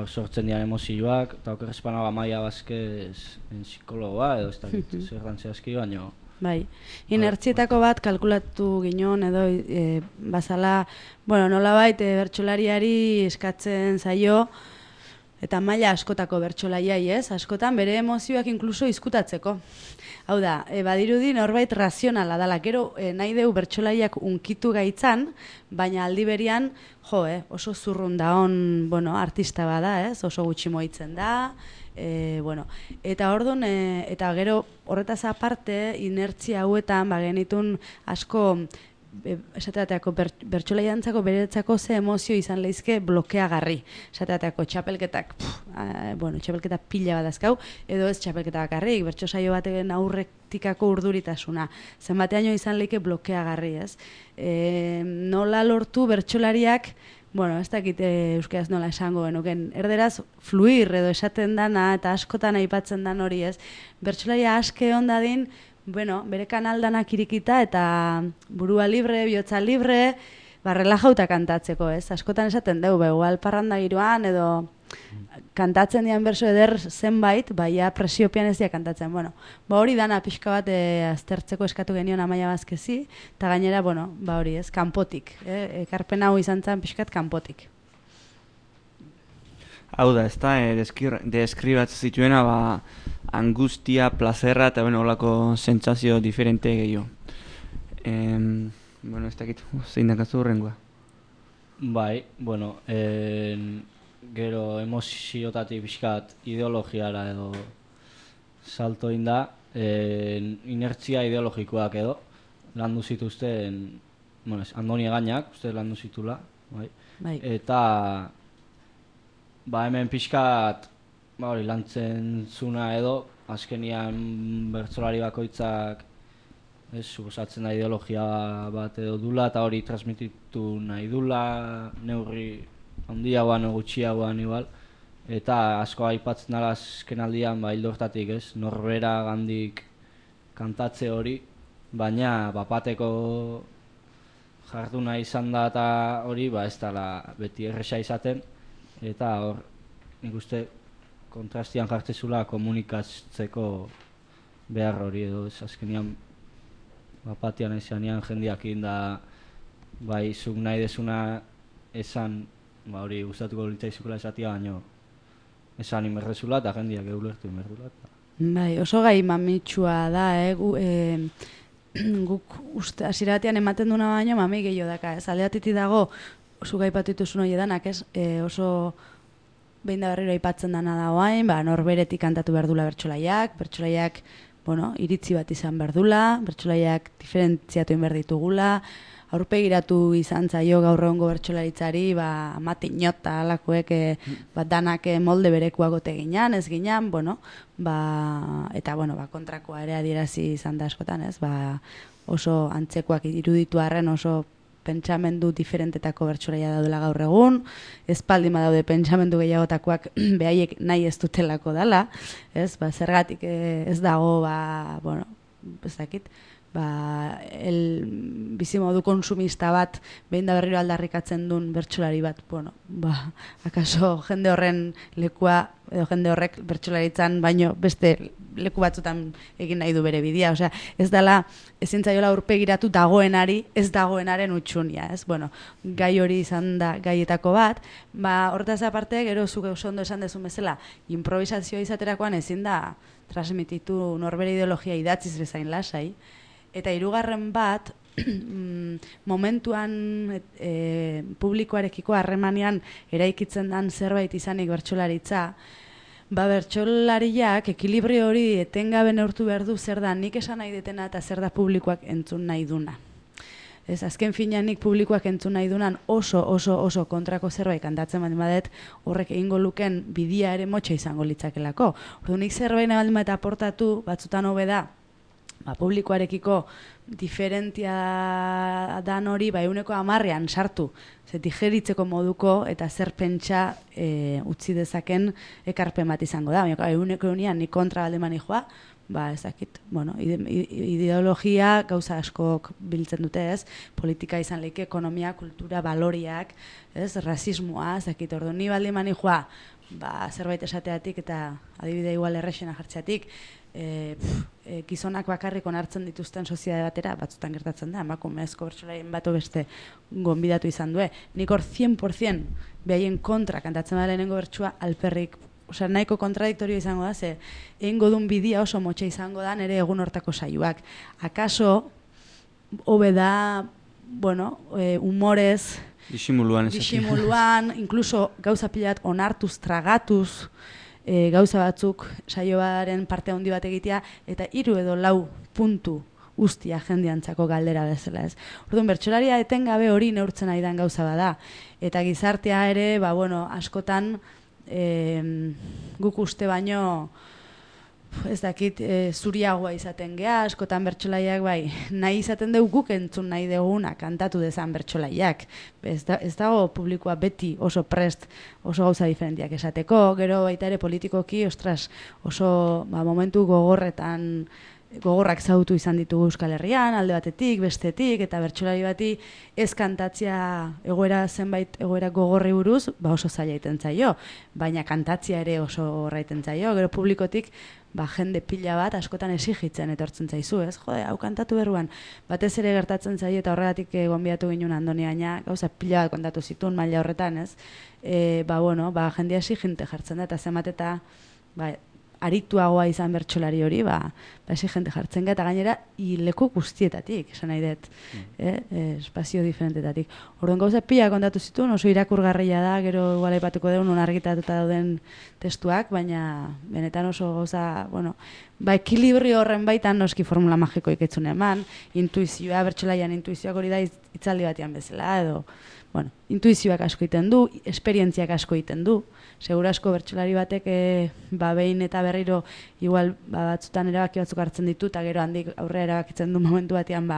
sortzen dian emozioak, eta okerrezpana Maia Vázquez psikologoa edo ez da zer dantzea baino. Bai, inertzietako bat kalkulatu ginen edo bazala, nolabait bertsolariari eskatzen zaio, eta maila askotako bertsolaiai, ez? Askotan bere emozioak inkluso izkutatzeko. Hau da, badirudi norbait razionala dala, gero nahi deu bertsolaiak unkitu gaitzan, baina aldi berian, oso zurrun da on, artista bada, ez? Oso gutxi moitzen da, eta orduan, eta gero horretaz aparte, inertzia hauetan, genitun asko, esateateako bertsolaiantzako beretzako ze emozio izan lehizke blokeagarri. Esateateako txapelketak, txapelketa pila bat azkau, edo ez txapelketa bakarrik, bertso saio baten aurretikako urduritasuna. Zenbateaino izan lehike blokeagarri, ez? Nola lortu bertsolariak, ez dakit euskaraz nola esango genuken, erderaz fluir edo esaten dana eta askotan aipatzen dan hori, ez? Bertsolaria aske ondadin, bere kanaldanak irikita eta burua libre, bihotza libre, relajauta kantatzeko, ez? Askotan esaten dugu, igual parranda giroan edo kantatzen dian berso eder zenbait, presiopian ez dia kantatzen. Hori dana pixka bat aztertzeko eskatu genion Amaia Vázquezi, eta gainera, hori ez, kanpotik. Ekarpen hau izan zen pixkat kanpotik. Hau da, ez da, deskribatzen zituena, angustia, plazerra eta olako sentsazio diferente gehiago. Bueno, ez dakit, zein dakazu horrengoa. Bai, bueno, gero emoziotatik pixkat ideologiara edo salto inda, inertzia ideologikoak edo, landu zituzten, bueno, Andoni Egainak, uste landu zitula, bai. Eta, hemen pixkat, hori, lantzen zuna edo, azkenian bertsolari bakoitzak, suposatzen da ideologia bat edo dula, eta hori transmititu nahi dula, neurri handiagoan o gutxiagoan igual, eta asko aipatzen dala azken aldian, hildo hortatik, norbera gandik kantatze hori, baina bapateko jarduna izan da eta hori, ez dala beti erresa izaten, eta hor, nik uste kontrastian jartzezula komunikatzeko behar hori edo, azkenian bapatian esanean jendeak inda zuk nahi desuna esan hori gustatuko litzaizukela esatia baino esan inberrezula eta jendeak eulertu inberrezula. Bai, oso gai mamitsua da, guk uste hasiera batean ematen duna baino mami gehiago daka, aldeatiti dago oso gai patituzun hori edanak, oso behin da berriro aipatzen dana da oain, norberetik kantatu behar dula bertsolaiak, iritzi bat izan behar dula, bertsolaiak diferentziatu behar ditugula, aurpegiratu izan zaio gaur egungo bertsolaritzari, matinota alakoek danak molde berekuagote ginean, ez ginean, eta kontrakoa ere adierazi izan da askotan, oso antzekoak iruditu arren oso pentsamendu diferentetako bertsolaria daudela gaur egun, espaldin badaude pentsamendu gehiagotakoak behaiek nahi ez dutelako dela, zergatik ez dago, ez dakit, bizimodu konsumista bat behin da berriro aldarrikatzen duen bertsolari bat, akaso jende horren lekua, edo jende horrek bertsolaritzan baino beste leku batzutan egin nahi du bere bidea, ez dela ezin zaiola aurpegiratu dagoenari, ez dagoenaren utxunia, gai hori izan da gaietako bat, hortaz aparte, gero zuk oso ondo esan dezun bezala, improvisazioa izaterakoan ezin da transmititu norbere ideologia idatziz bezain lasai, eta hirugarren bat, momentuan publikoarekiko harremanean eraikitzen dan zerbait izanik bertsolaritza, bertsolariak ekilibrio hori etengabe neurtu behar du zer da nik esan nahi detena eta zer da publikoak entzun nahi duna. Azken finean nik publikoak entzun nahi dunan oso kontrako zerbait kantatzen badet horrek egingo luken bidia ere motxa izango litzakelako. Nik zerbait nahi baldin eta aportatu batzutan hobe da, publikoarekiko diferentia dan hori 110 sartu, digeritzeko moduko eta zer pentsa utzi dezaken ekarpen bat izango da. 100 nik kontra baldemani joa, ezakit, ideologia gauza askok biltzen dute, politika izan leike, ekonomia, kultura, baloriak, rasismoa, ezakit, ordu ni baldemani joa, zerbait esateatik eta adibide igual errexena jartzeatik, gizonak bakarrik onartzen dituzten soziedade batera, batzutan gertatzen da, emakumezko bertsolarien bato beste gonbidatu izan due. Nik hor 100% behaien kontra kantatzen da lehenengo bertsua alperrik, nahiko kontradiktorio izango da, egingo duen bidia oso motxa izango da nire egun hortako saioak. Akaso, hobe da, humorez, disimuluan, inkluso gauza pilat onartuz, tragatuz, gauza batzuk saioaren parte handi bat egitea, eta 3 edo 4 puntu ustia jendeantzako galdera bezala ez. Orduan, bertsolaria etengabe hori neurtzen ari den gauza bada. Eta gizartea ere, askotan guk uste baino ez dakit zuriagoa izaten gea, askotan bertsolaiak nahi izaten dugu guk entzun nahi duguna kantatu dezan bertsolaiak. Ez dago publikoa beti oso prest, oso gauza diferentiak esateko, gero baita ere politikoki, oso momentu gogorretan gogorrak zautu izan ditugu Euskal Herrian, alde batetik, bestetik, eta bertsolari bati ez kantatzia zenbait egoera gogorri buruz, oso zaila iten zaio, baina kantatzia ere oso horraiten zaio, gero publikotik jende pila bat askotan esigitzen etortzen zaizu, ez? Jode, hau kantatu berruan, batez ere gertatzen zaio eta horregatik gonbidatu ginen Andoni, baina gauza pila bat kontatu zituen maila horretan, ez? Jendia esiginte jartzen da, eta zenbat eta arituagoa izan bertsolari hori, exigente jartzen eta gainera leku guztietatik, esan nahi dut, espazio diferentetatik. Orduan gauza pila kontatu zituen, oso irakurgarria da, gero igual aipatuko dugu non argitatuta dauden testuak, baina benetan oso gauza, ekilibrio horren baitan noski formula magiko iketzun eman, intuizioa, bertsolaian intuizioak hori da hitzaldi batean bezala, edo, intuizioak asko egiten du, esperientziak asko egiten du, segura asko bertsolari batek behin eta berriro igual batzutan erabaki batzuk hartzen ditu eta gero handik aurrera erabakitzen du momentu batean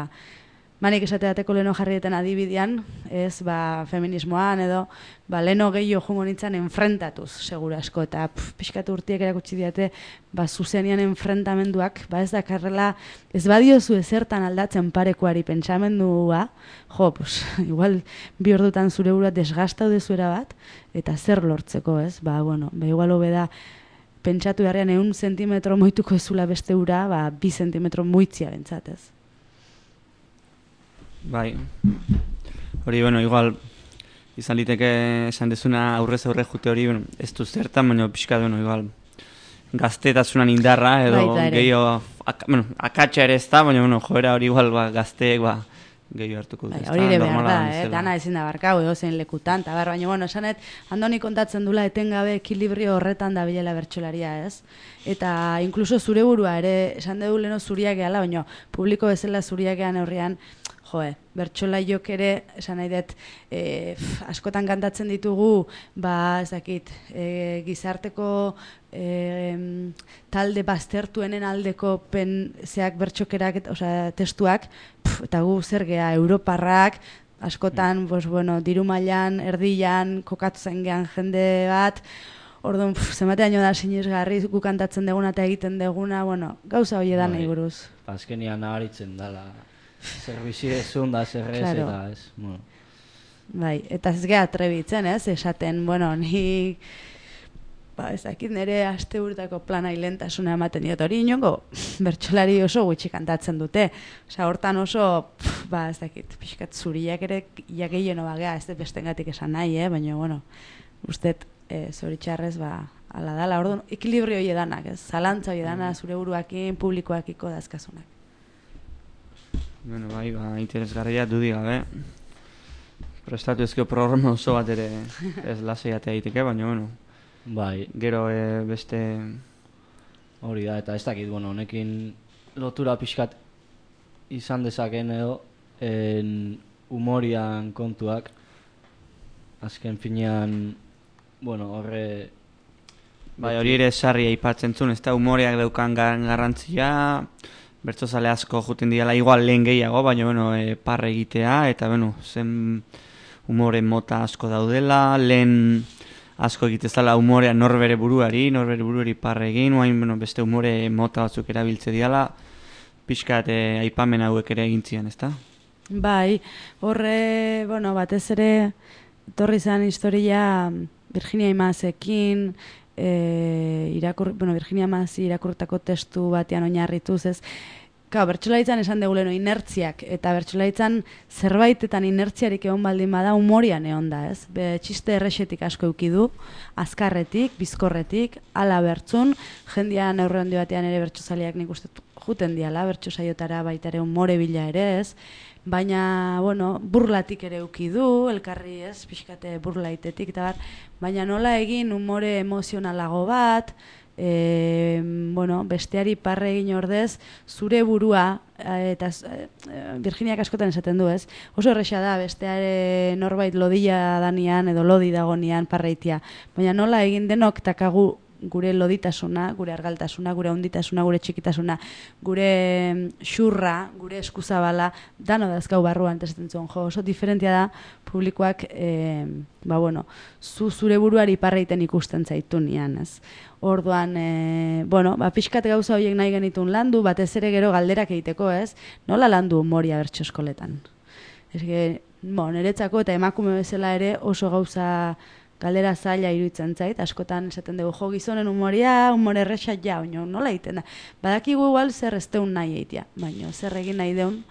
manik esate bateko leno jarrieten adibidean, ez feminismoan edo leno gehiago jungo nintzen enfrentatuz segura asko eta pixkatu urtiek erakutsi diate zuzenian enfrentamenduak ez dakarrela ez badiozu ezertan aldatzen parekoari pentsamendua igual bi ordutan zure burua desgastau dezuera bat eta zer lortzeko ez igual hobe da pentsatu beharrean 100 zentimetro moituko ezula beste ura 2 zentimetro moitzia bentsat ez. Bai, hori, igual, izan liteke esan dezuna aurrez aurre jute hori, ez du zertan, baina pixka, igual, gaztetasunan indarra, edo gehiago, akatsa ere ez da, baina, joera hori igual, gazteek, gehiago hartuko dut. Hori ere behar da, dana ezin da barkau, edo zein lekutan, eta baina, esanet, Andoni kontatzen dula etengabe ekilibrio horretan da bilela bertsolaria, ez? Eta, inkluso zure burua ere, esan dugu leno zuriak gehala, baina, publiko bezala zuriak gehan horrean, bertsolaiok ere, esan nahi dut, askotan kantatzen ditugu, gizarteko talde baztertuenen aldeko zeak bertsokerak, testuak, eta gu zer gea, europarrak, askotan, diru mailan, erdian, kokatu zen gehan jende bat, orduan, zenbatean da sinesgarri gu kantatzen deguna eta egiten deguna, gauza hori edan nahi buruz. Azkenian nabaritzen dela. Zer bizidezun da, zer ez, eta ez. Bai, eta ez geha trebitzen, ez, esaten, ni, ez dakit nire aste urtako plana hilentasuna ematen diot hori inongo, bertsolari oso gutxi kantatzen dute. Hortan oso, ez dakit, pixkat zuriak ere, iakeien obagea, ez dut bestengatik esan nahi, baina, ustet, zoritxarrez, ala dala, orduan, ekilibrio hori edanak, ez, zalantza hori edana, zure buruakin, publikoakiko dazkasunak. Bai, interesgarria dudi gabe. Prestatu ezkio programa oso bat ere ez lasaiatea egiteke, baina, bai, gero beste hori da, eta ez dakit, honekin lotura pixkat izan dezaken edo humorian kontuak azken finean horre bai, hori ere sarri aipatzen zuen, ez da humoreak daukan garrantzia bertsozale asko juten diala igual lehen gehiago, baina parre egitea, eta zen humore mota asko daudela, lehen asko egitezala humorea norbere buruari parre egin, beste humore mota batzuk erabiltze diala, pixkat aipamen hauek ere egintzien, ezta? Bai, horre, batez ere, torri zen historia Virginia Imazekin, Virginia Mazi irakurtako testu batean oinarrituz, ez? Bertsolaritzan esan dugu leno inertziak, eta bertsolaritzan zerbaitetan inertziarik egon baldin bada humorian egon da, ez? Txiste errexetik asko eukidu, azkarretik, bizkorretik, ala bertzun, jendean aurre handi batean ere bertsozaleak nik uste juten diala, bertsosaiotara baita ere humore bila ere, ez? Baina, burlatik ere eukidu, elkarri ez, pixkate burlaitetik, eta baina nola egin humore emozionalago bat, besteari parre egin ordez, zure burua, eta Virginiak askotan esaten du, ez? Oso erresa da, besteare norbait lodila danian, edo lodi dagonian parreitia. Baina nola egin denok takagu gure loditasuna, gure argaltasuna, gure honditasuna, gure txikitasuna, gure xurra, gure eskuzabala, dano dazkau barruan testen zuen, oso diferentia da publikoak, zure buruari parreiten ikusten zaitu nian, ez? Orduan, pixkat gauza horiek nahi genitun landu, batez ere gero galderak egiteko, ez? Nola landu humoria bertso eskoletan? Niretzako eta emakume bezala ere oso gauza galdera zaila iruditzen zait, askotan esaten dugu, gizonen humoria, humore erresa nola egiten da. Badakigu igual zer ez deun nahi egitea, baina zer egin nahi deun,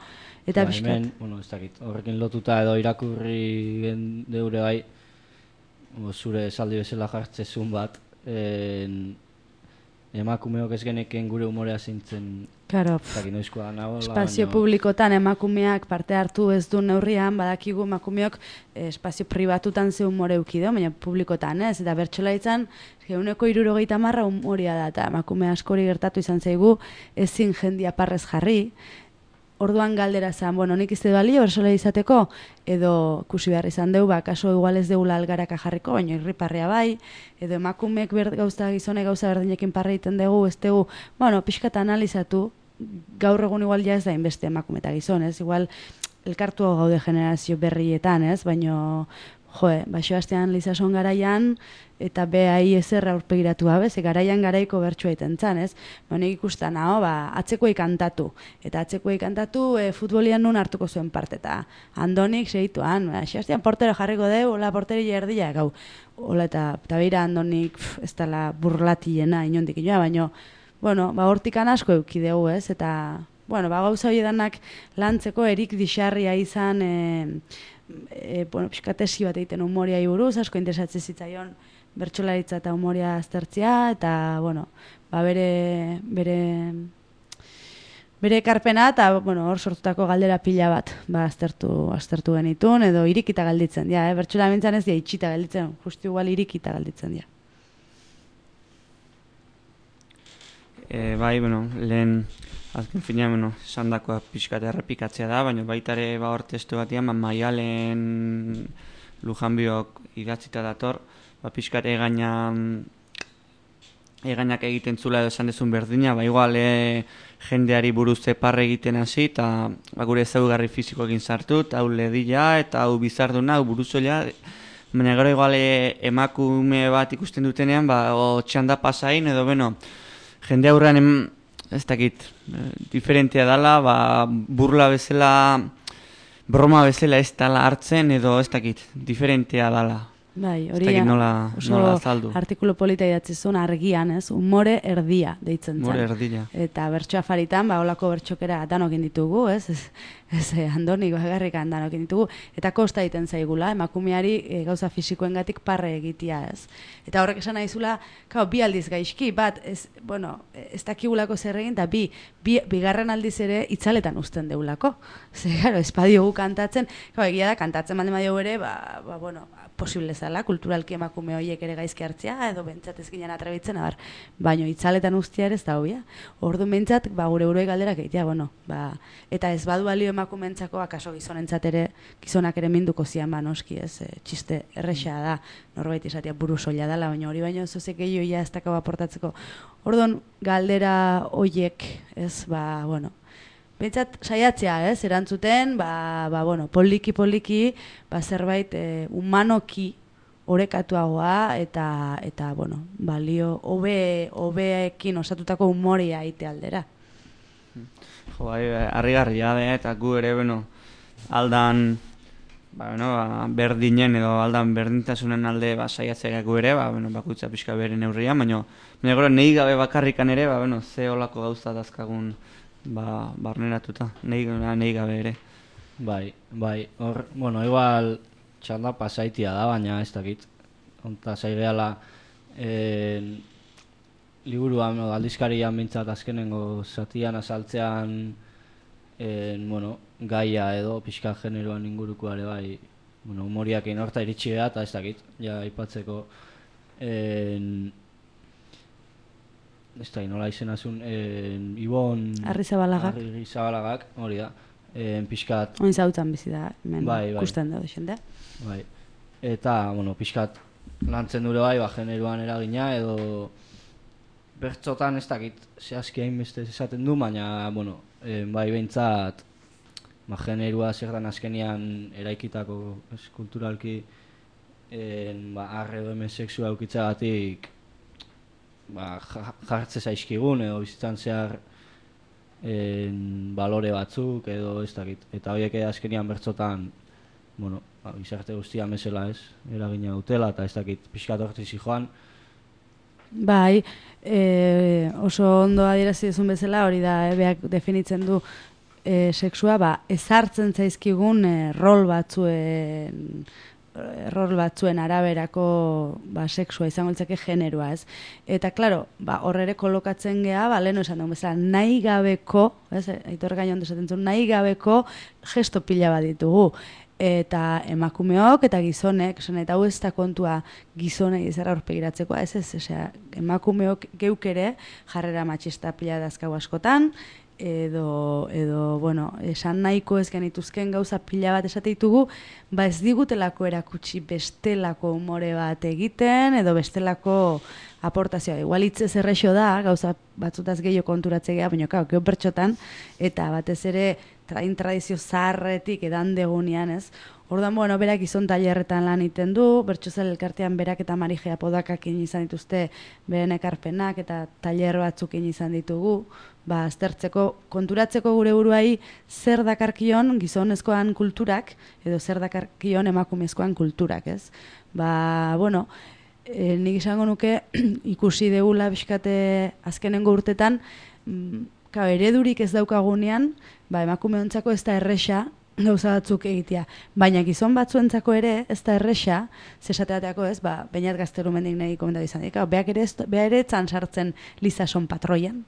eta pixkat. Ez dakit, horrekin lotuta edo irakurri deure bai, zure esaldi bezala jartzezun bat, emakumeok ez geneken gure humorea zintzen. Claro, espazio publikotan emakumeak parte hartu ez du neurrian, badakigu emakumeok espazio pribatutan ze humore eukideo, baina publikotan ez, eta bertsolaritzan 160 humorea da, eta emakume askori gertatu izan zaigu ezin jendia parrez jarri. Orduan galdera zen, nik izte balio bertsolari izateko, edo ikusi behar izan deu, kaso igual ez deula algaraka jarriko, baina irriparria bai, edo emakumeek gizone gauza berdinekin parra egiten dugu, ez dugu, pixkat analizatu, gaur egun igual ja ez da inbeste emakume eta gizon, ez? Igual elkartu gaude generazio berrietan, ez? Baina, Sebastian Lizason garaian, eta behai ezer aurpegiratu gabe, garaian garaiko bertsoa egiten zan, ez? Nik ikusten, atzekoei kantatu. Eta atzekoei kantatu futbolian nun hartuko zuen parte, eta Andonik segituan, Sebastian portero jarriko deu, hola porteri erdia, gau. Hola, eta beira Andonik ez dela burlatiena inondik inoa, baina, hortikan asko eukideu, ez? Eta, gauza horiedanak lantzeko erik dixarria izan, piskatesi bat egiten humoriai buruz, asko interesatzen zitzaion bertsolaritza eta humoria aztertzea, eta, bere ekarpena, eta, hor sortutako galdera pila bat, aztertu genitun, edo irikita galditzen, bertsola bintzan ez itxita galditzen, justu igual irikita galditzen, lehen azken finean, esan dakoa pixkate errepikatzea da, baina baitare hor testu batian, Maialen Lujanbiok idatzita dator, pixkate egainak egiten zula edo esan dezun berdina, igual jendeari buruz parre egiten hasi, eta gure ezaugarri fizikoekin sartu, eta hau ledila, eta hau bizarduna, hau buruzoila, baina gero igual emakume bat ikusten dutenean, txanda pasain, edo jende aurrean ez dakit, diferentea dela, burla bezala, broma bezala ez dela hartzen, edo ez dakit, diferentea dela. Bai, hori oso artikulu polita idatzi zuen argian, ez? Humore erdia deitzen zen. Humore erdia. Eta bertso afaritan, olako bertxokera danokin ditugu, ez? Ez Andonik bagarrikan danokin ditugu. Eta kosta egiten zaigula, emakumeari gauza fisikoengatik parre egitea, ez? Eta horrek esan nahizula, bi aldiz gaizki, bat, ez dakigulako zer egin, eta bigarren aldiz ere itzaletan uzten deulako. Zer, espadiogu kantatzen, egia da, kantatzen baldin badio ere, posible zala, kulturalki emakume horiek ere gaizki hartzea, edo bentsat ez ginen atrebitzen, baino itzaletan ustia ere ez da hobia. Orduan bentsat, gure buruei galderak egitea, eta ez badu balio emakumeentzako, akaso gizonentzat ere, gizonak ere minduko zian, noski, ez, txiste erresa da, norbait izatea buru soila dela, baina hori baino zuzek egioia ez dakau aportatzeko. Orduan, galdera horiek, ez, bentsat saiatzea, ez, erantzuten, poliki, zerbait humanoki orekatuagoa eta balio hobeekin osatutako humoria eite aldera. Harrigarria da, eta gu ere, aldan berdinen edo aldan berdintasunen alde saiatzea gu ere, bakutza pixka bere neurrian, baina gero nahi gabe bakarrikan ere, ze olako gauza dazkagun barneratuta, nahi gabe ere. Bai, hor, igual txanda pasaitia da, baina ez dakit. Onta zaigeala liburuan, aldizkarian bintzat azkenengo zatian azaltzean gaia edo pixka generoan inguruko ere bai, humoriakin horta iritsi beha eta ez dakit, aipatzeko ez da, nola izenazun, Ibon Arrizabalagak, hori da, pixkat... Oin zautzen bizi da, kusten da, xende. Bai, eta, pixkat lantzen dure bai, generoan eragina, edo bertzotan ez dakit zehazki hainbeste esaten du, baina, bueno, bai behintzat, generua zer dan azkenian eraikitako kulturalki arre edo hemen sexua eukitzagatik jartze zaizkigun edo bizitzan zehar balore batzuk edo ez dakit. Eta horiek azkenian bertzotan, bueno, gizarte guztia mesela ez, eragina dutela eta ez dakit pixkat hortizi joan. Bai, oso ondo adierazi duzun bezala, hori da, beak definitzen du sexua, ezartzen zaizkigun rol batzuen araberako sexua izango litzake generoa, ez? Eta, klaro, hor ere kolokatzen geha, leheno esan dugu bezala, nahi gabeko, ez, Aitor Gainon desaten zuen, nahi gabeko gesto pila bat ditugu. Eta emakumeok eta gizonek, eta hau ez da kontua gizonei ezera horpegiratzeko, emakumeok geuk ere jarrera matxista pila dazkau askotan, edo bueno, esan nahiko ez genituzken gauza pila bat esate ditugu, ez digutelako erakutsi bestelako umore bat egiten, edo bestelako aportazioa. Igual hitzez errexo da, gauza batzutaz gehiago konturatzea, baina gero pertsotan, eta batez ere tradizio zaharretik edan degunean, ez? Orduan, bueno, berak gizon tailerretan lan iten du, Bertsozale elkartean berak eta Marijea Podakak izan dituzte beren ekarpenak eta tailer batzuk izan ditugu, aztertzeko, konturatzeko gure buruai zer dakarkion gizonezkoan kulturak edo zer dakarkion emakumezkoan kulturak, ez? Bueno, nik izango nuke ikusi degula bizkate azkenengo urtetan, eredurik ez daukagunean, emakumeontzako ez da erresa gauza batzuk egitea. Baina gizon batzuentzako ere ez da erresa, zesateateako ez, Beñat Gaztelumendik nahi komentatu izan dira. Beak ere etzan sartzen Lizason patroian.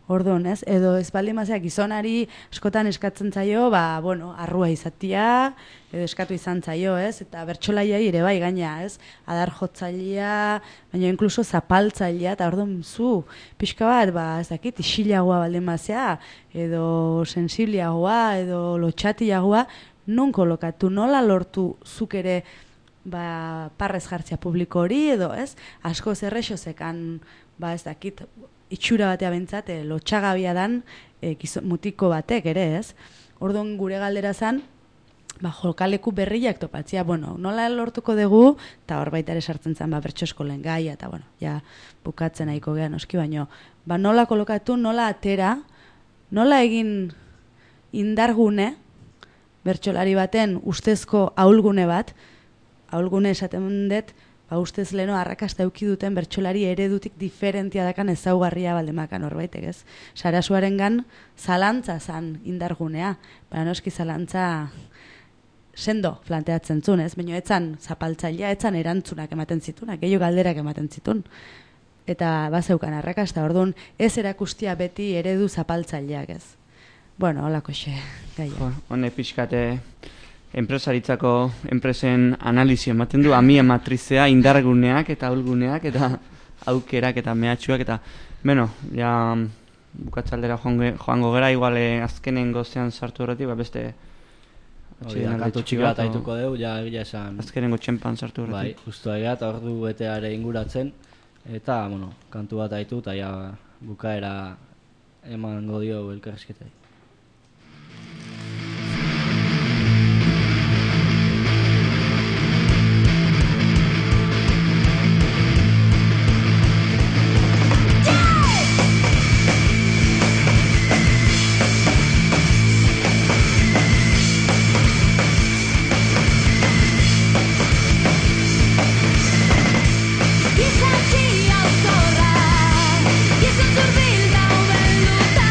Orduan, ez? Edo ez baldin mazea gizonari askotan eskatzen zaio, bueno, arrua izatia, edo eskatu izan zaio, ez? Eta bertsolaiai ere bai gaina, ez? Adar jotzailea, baina inkluso zapaltzailea, eta orduan zu, pixka bat, ez dakit, isilagoa baldin mazea, edo sensibliagoa, edo lotxatiagoa, non kolokatu, nola lortu zuk ere parrez jartzea publiko hori, edo, ez? Asko zerrexo zekan, ez dakit, itxura batea bentsat, lotxagabia dan mutiko batek ere, ez? Orduan gure galdera zan, jokaleku berriak topatzia, bueno, nola lortuko dugu, eta hor baita ere sartzen zen, bertso eskolen gaia, eta, bueno, ja, bukatzen nahiko gehan oski, baino, nola kolokatu, nola atera, nola egin indargune, bertsolari baten ustezko ahulgune bat, ahulgune esaten dut, ustez leno arrakasta eduki duten bertsolari eredutik diferentia dakan ezaugarria baldemakan horbaitek, ez? Sarasuarengan zalantza zan indargunea, baina noski zalantza sendo planteatzen zuen, ez? Baina etzan zapaltzailea, etzan erantzunak ematen zitunak, gehiago galderak ematen zitun. Eta bazeukan arrakasta, orduan ez erakustia beti eredu zapaltzaileak, ez? Bueno, holako xe, gaia. Hone pixkate enpresaritzako enpresen analizio ematen du, amia matrizea, indarguneak eta ahulguneak eta aukerak eta mehatxuak eta, bueno, ja bukatzaldera joango gera, igual azkenen gozean sartu horretik, beste kantu txiki bat aituko dugu, ja egia esan azkenengo txempan sartu horretik. Bai, justu egia eta ordu beteare inguratzen eta, bueno, kantu bat aitu eta ja bukaera emango dio elkarrizketai. Gizon zurbil gau belduta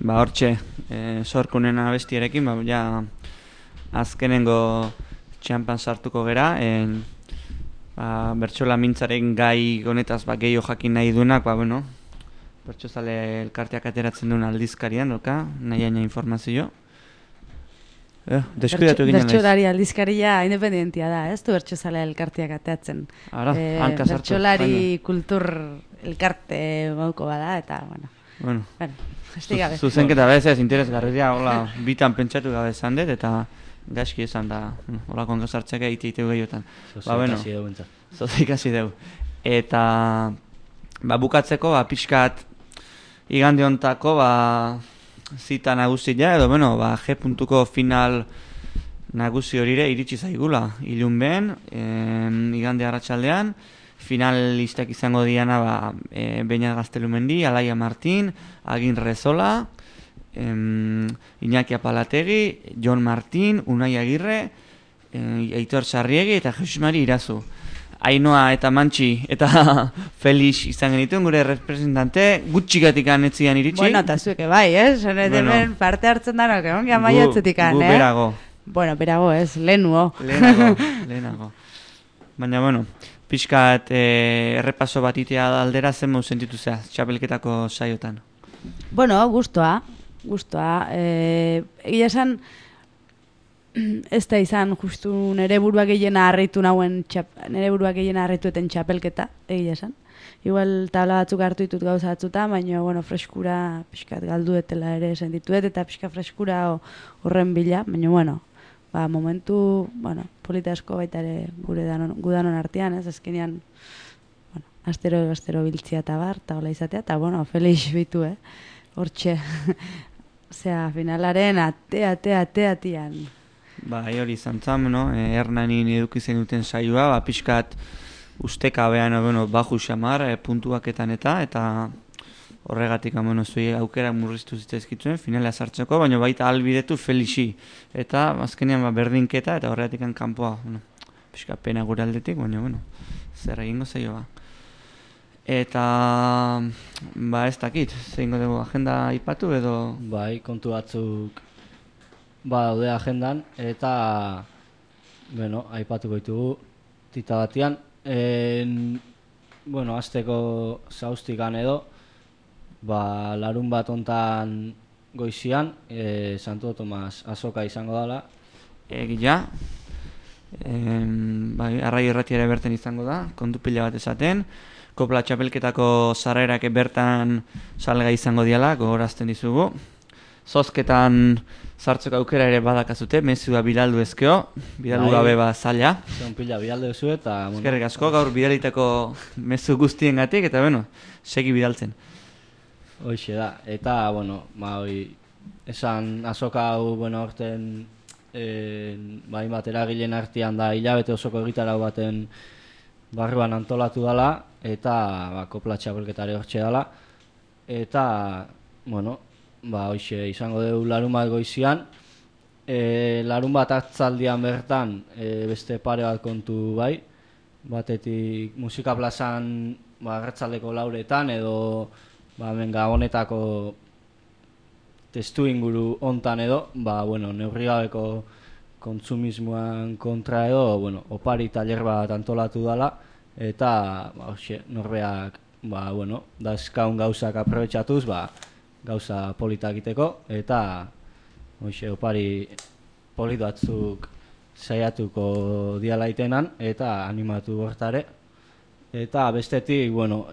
Ba, hortxe, sorkunen abestiarekin, ja, azkenengo txampan sartuko gera, bertsola mintzaren gai honetaz gehiago jakin nahi duenak, bueno, bertsozale elkarteak ateratzen duen aldizkarian, nahi informazio. Deskuidatu egin naiz. Bertsolari aldizkaria independentia da, ez du bertsozale elkarteak ateratzen. Bertsolari kultur elkarte gauko bada, eta, bueno, zuzenketa bez interesgarria, hola, bitan pentsatu gabe esan dut, eta gaizki esan da, hola kongozartzak egiteu gehiotan. Zozik hasi dugu. Eta, bukatzeko, pixkat, igande hontako, zita nagusia, edo, G.ko final nagusi horire iritsi zaigula. Ilun behen, igande arratsaldean, finalistak izango diana Beñat Gaztelumendi, Alaia Martin, Agin Rezola, Iñaki Apalategi, Jon Martin, Unai Agirre, Aitor Sarriegi eta Jesus Mari Irazu. Ainoa eta Mantxi eta Felix izan genituen gure representante, gutxikatik anetzian iritsi. Bueno, eta zueke bai, hemen parte hartzen danok, egon gian maiatzetik gu berago. Bueno, berago ez, lehenago. Lehenago. Baina, pixkat errepaso bat itea aldera zen mau sentitu zea, txapelketako saiotan. Bueno, gustoa. Egia esan, ez da izan justu nire buruak gehiena harritu eten txapelketa, egia esan. Igual tabla batzuk hartu ditut gauza batzuta, baina, freskura pixkat galduetela ere sentituet, eta pixka freskura horren bila, baina, momentu, polita asko baita ere gudanon artean, ez azkenean, astero biltzia eta bar, eta hola izatea, eta, Felix bitu, hortxe, finalaren ate-atian. Hori izan zan, Hernanin edukizen duten saioa, pixkat ustekabean, baju xamar, puntuaketan eta horregatik, zuei aukera murriztu zitzaizkitzuen, finalea sartzeko, baina baita albidetu Felixi. Eta azkenean berdinketa eta horregatik kanpoa, pixka pena gure aldetik, baina, zer egingo zaioa. Eta, ez dakit, zeingo dugu agenda aipatu edo... Bai, kontu batzuk daude agendan, eta, aipatuko ditugu tita batian. Azteko zauztikan edo, larun bat ontan goizian, Santo Tomas azoka izango dela. Egia, arrai erratiara berten izango da, kontu pila bat esaten. Kopla txapelketako sarrerak bertan salga izango diala, gogorazten dizugu. Zozketan sartzeko aukera ere badakazute, mezua bidaldu ezkeo, bidaldu gabe zaila. Zeon pila bidaldu ezu eta... Eskerrik asko, gaur bidalitako mezu guztien gatik, eta segi bidaltzen. Hoixe da, eta, esan azoka hau, orten, bat eragileen artean da, hilabete osoko egitarau baten barruan antolatu dela, eta kopla txapelketare hortxe dela, eta, hoixe izango dugu larun bat goizian, larun bat atzaldian bertan beste pare bat kontu bai, batetik musika plazan arratsaldeko lauretan edo Gabonetako testu inguru hontan edo, neurri gabeko kontsumismoan kontra edo, opari taller bat antolatu dela, eta norbeak dazkaun gauzak aprobetxatuz, gauza polita egiteko, eta opari polit batzuk saiatuko dialaitenan eta animatu hortare. Eta bestetik, bueno,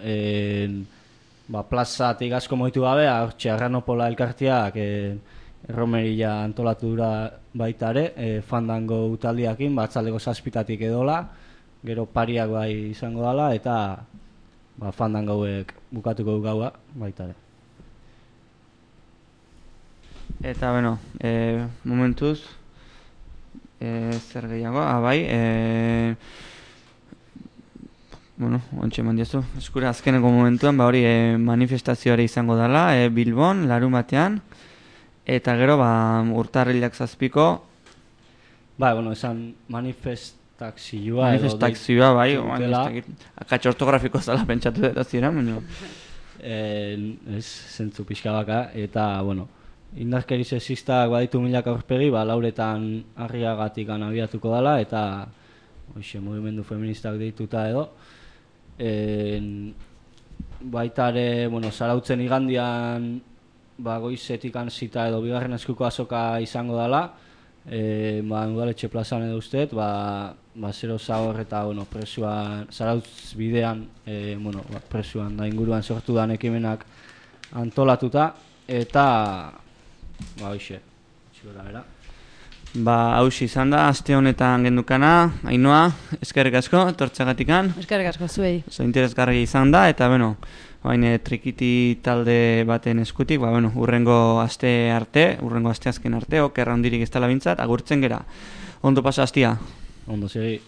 plazatik asko moitu gabe, hortxe Arranopola elkartiak erromeria antolatu dura baita ere, fandango utaldiakin, batzaldeko 7 edola, gero pariak bai izango dela, eta fandangauek bukatuko du gaua baita ere. Eta, bueno, momentuz, zer gehiago, bai, bueno, ontxe eman diazu, eskura azkeneko momentuan, hori manifestazioare izango dela, Bilbon, Larumatean, eta gero, urtarrilak 7ko. Bueno, esan manifestakzioa. Manifestakzioa, bai, akatx ortografiko zala pentsatu dut zira, baina. Ez, zentzu pixka baka, eta, bueno, indarkeri sexistak baditu milaka aurpegi, lauretan Arriagatik abiatuko dela, eta mugimendu feministak deituta edo. Baita ere, Zarautzen igandian goizetik zita edo bigarren eskuko azoka izango dela, Udaletxe plazan edo usteet, zero zahor eta presuan, Zarautz bidean, presuan da inguruan sortu dan ekimenak antolatuta, eta hoxe gora bera. Hauxe izan da, aste honetan gendukana, Ainhoa, eskerrik asko, etortzeagatikan. Eskerrik asko zuei. Oso interesgarria izan da, eta trikiti talde baten eskutik, urrengo aste azken arte, okerra hondirik ez dela bintzat, agurtzen gera. Ondo pasa astia. Ondo segi.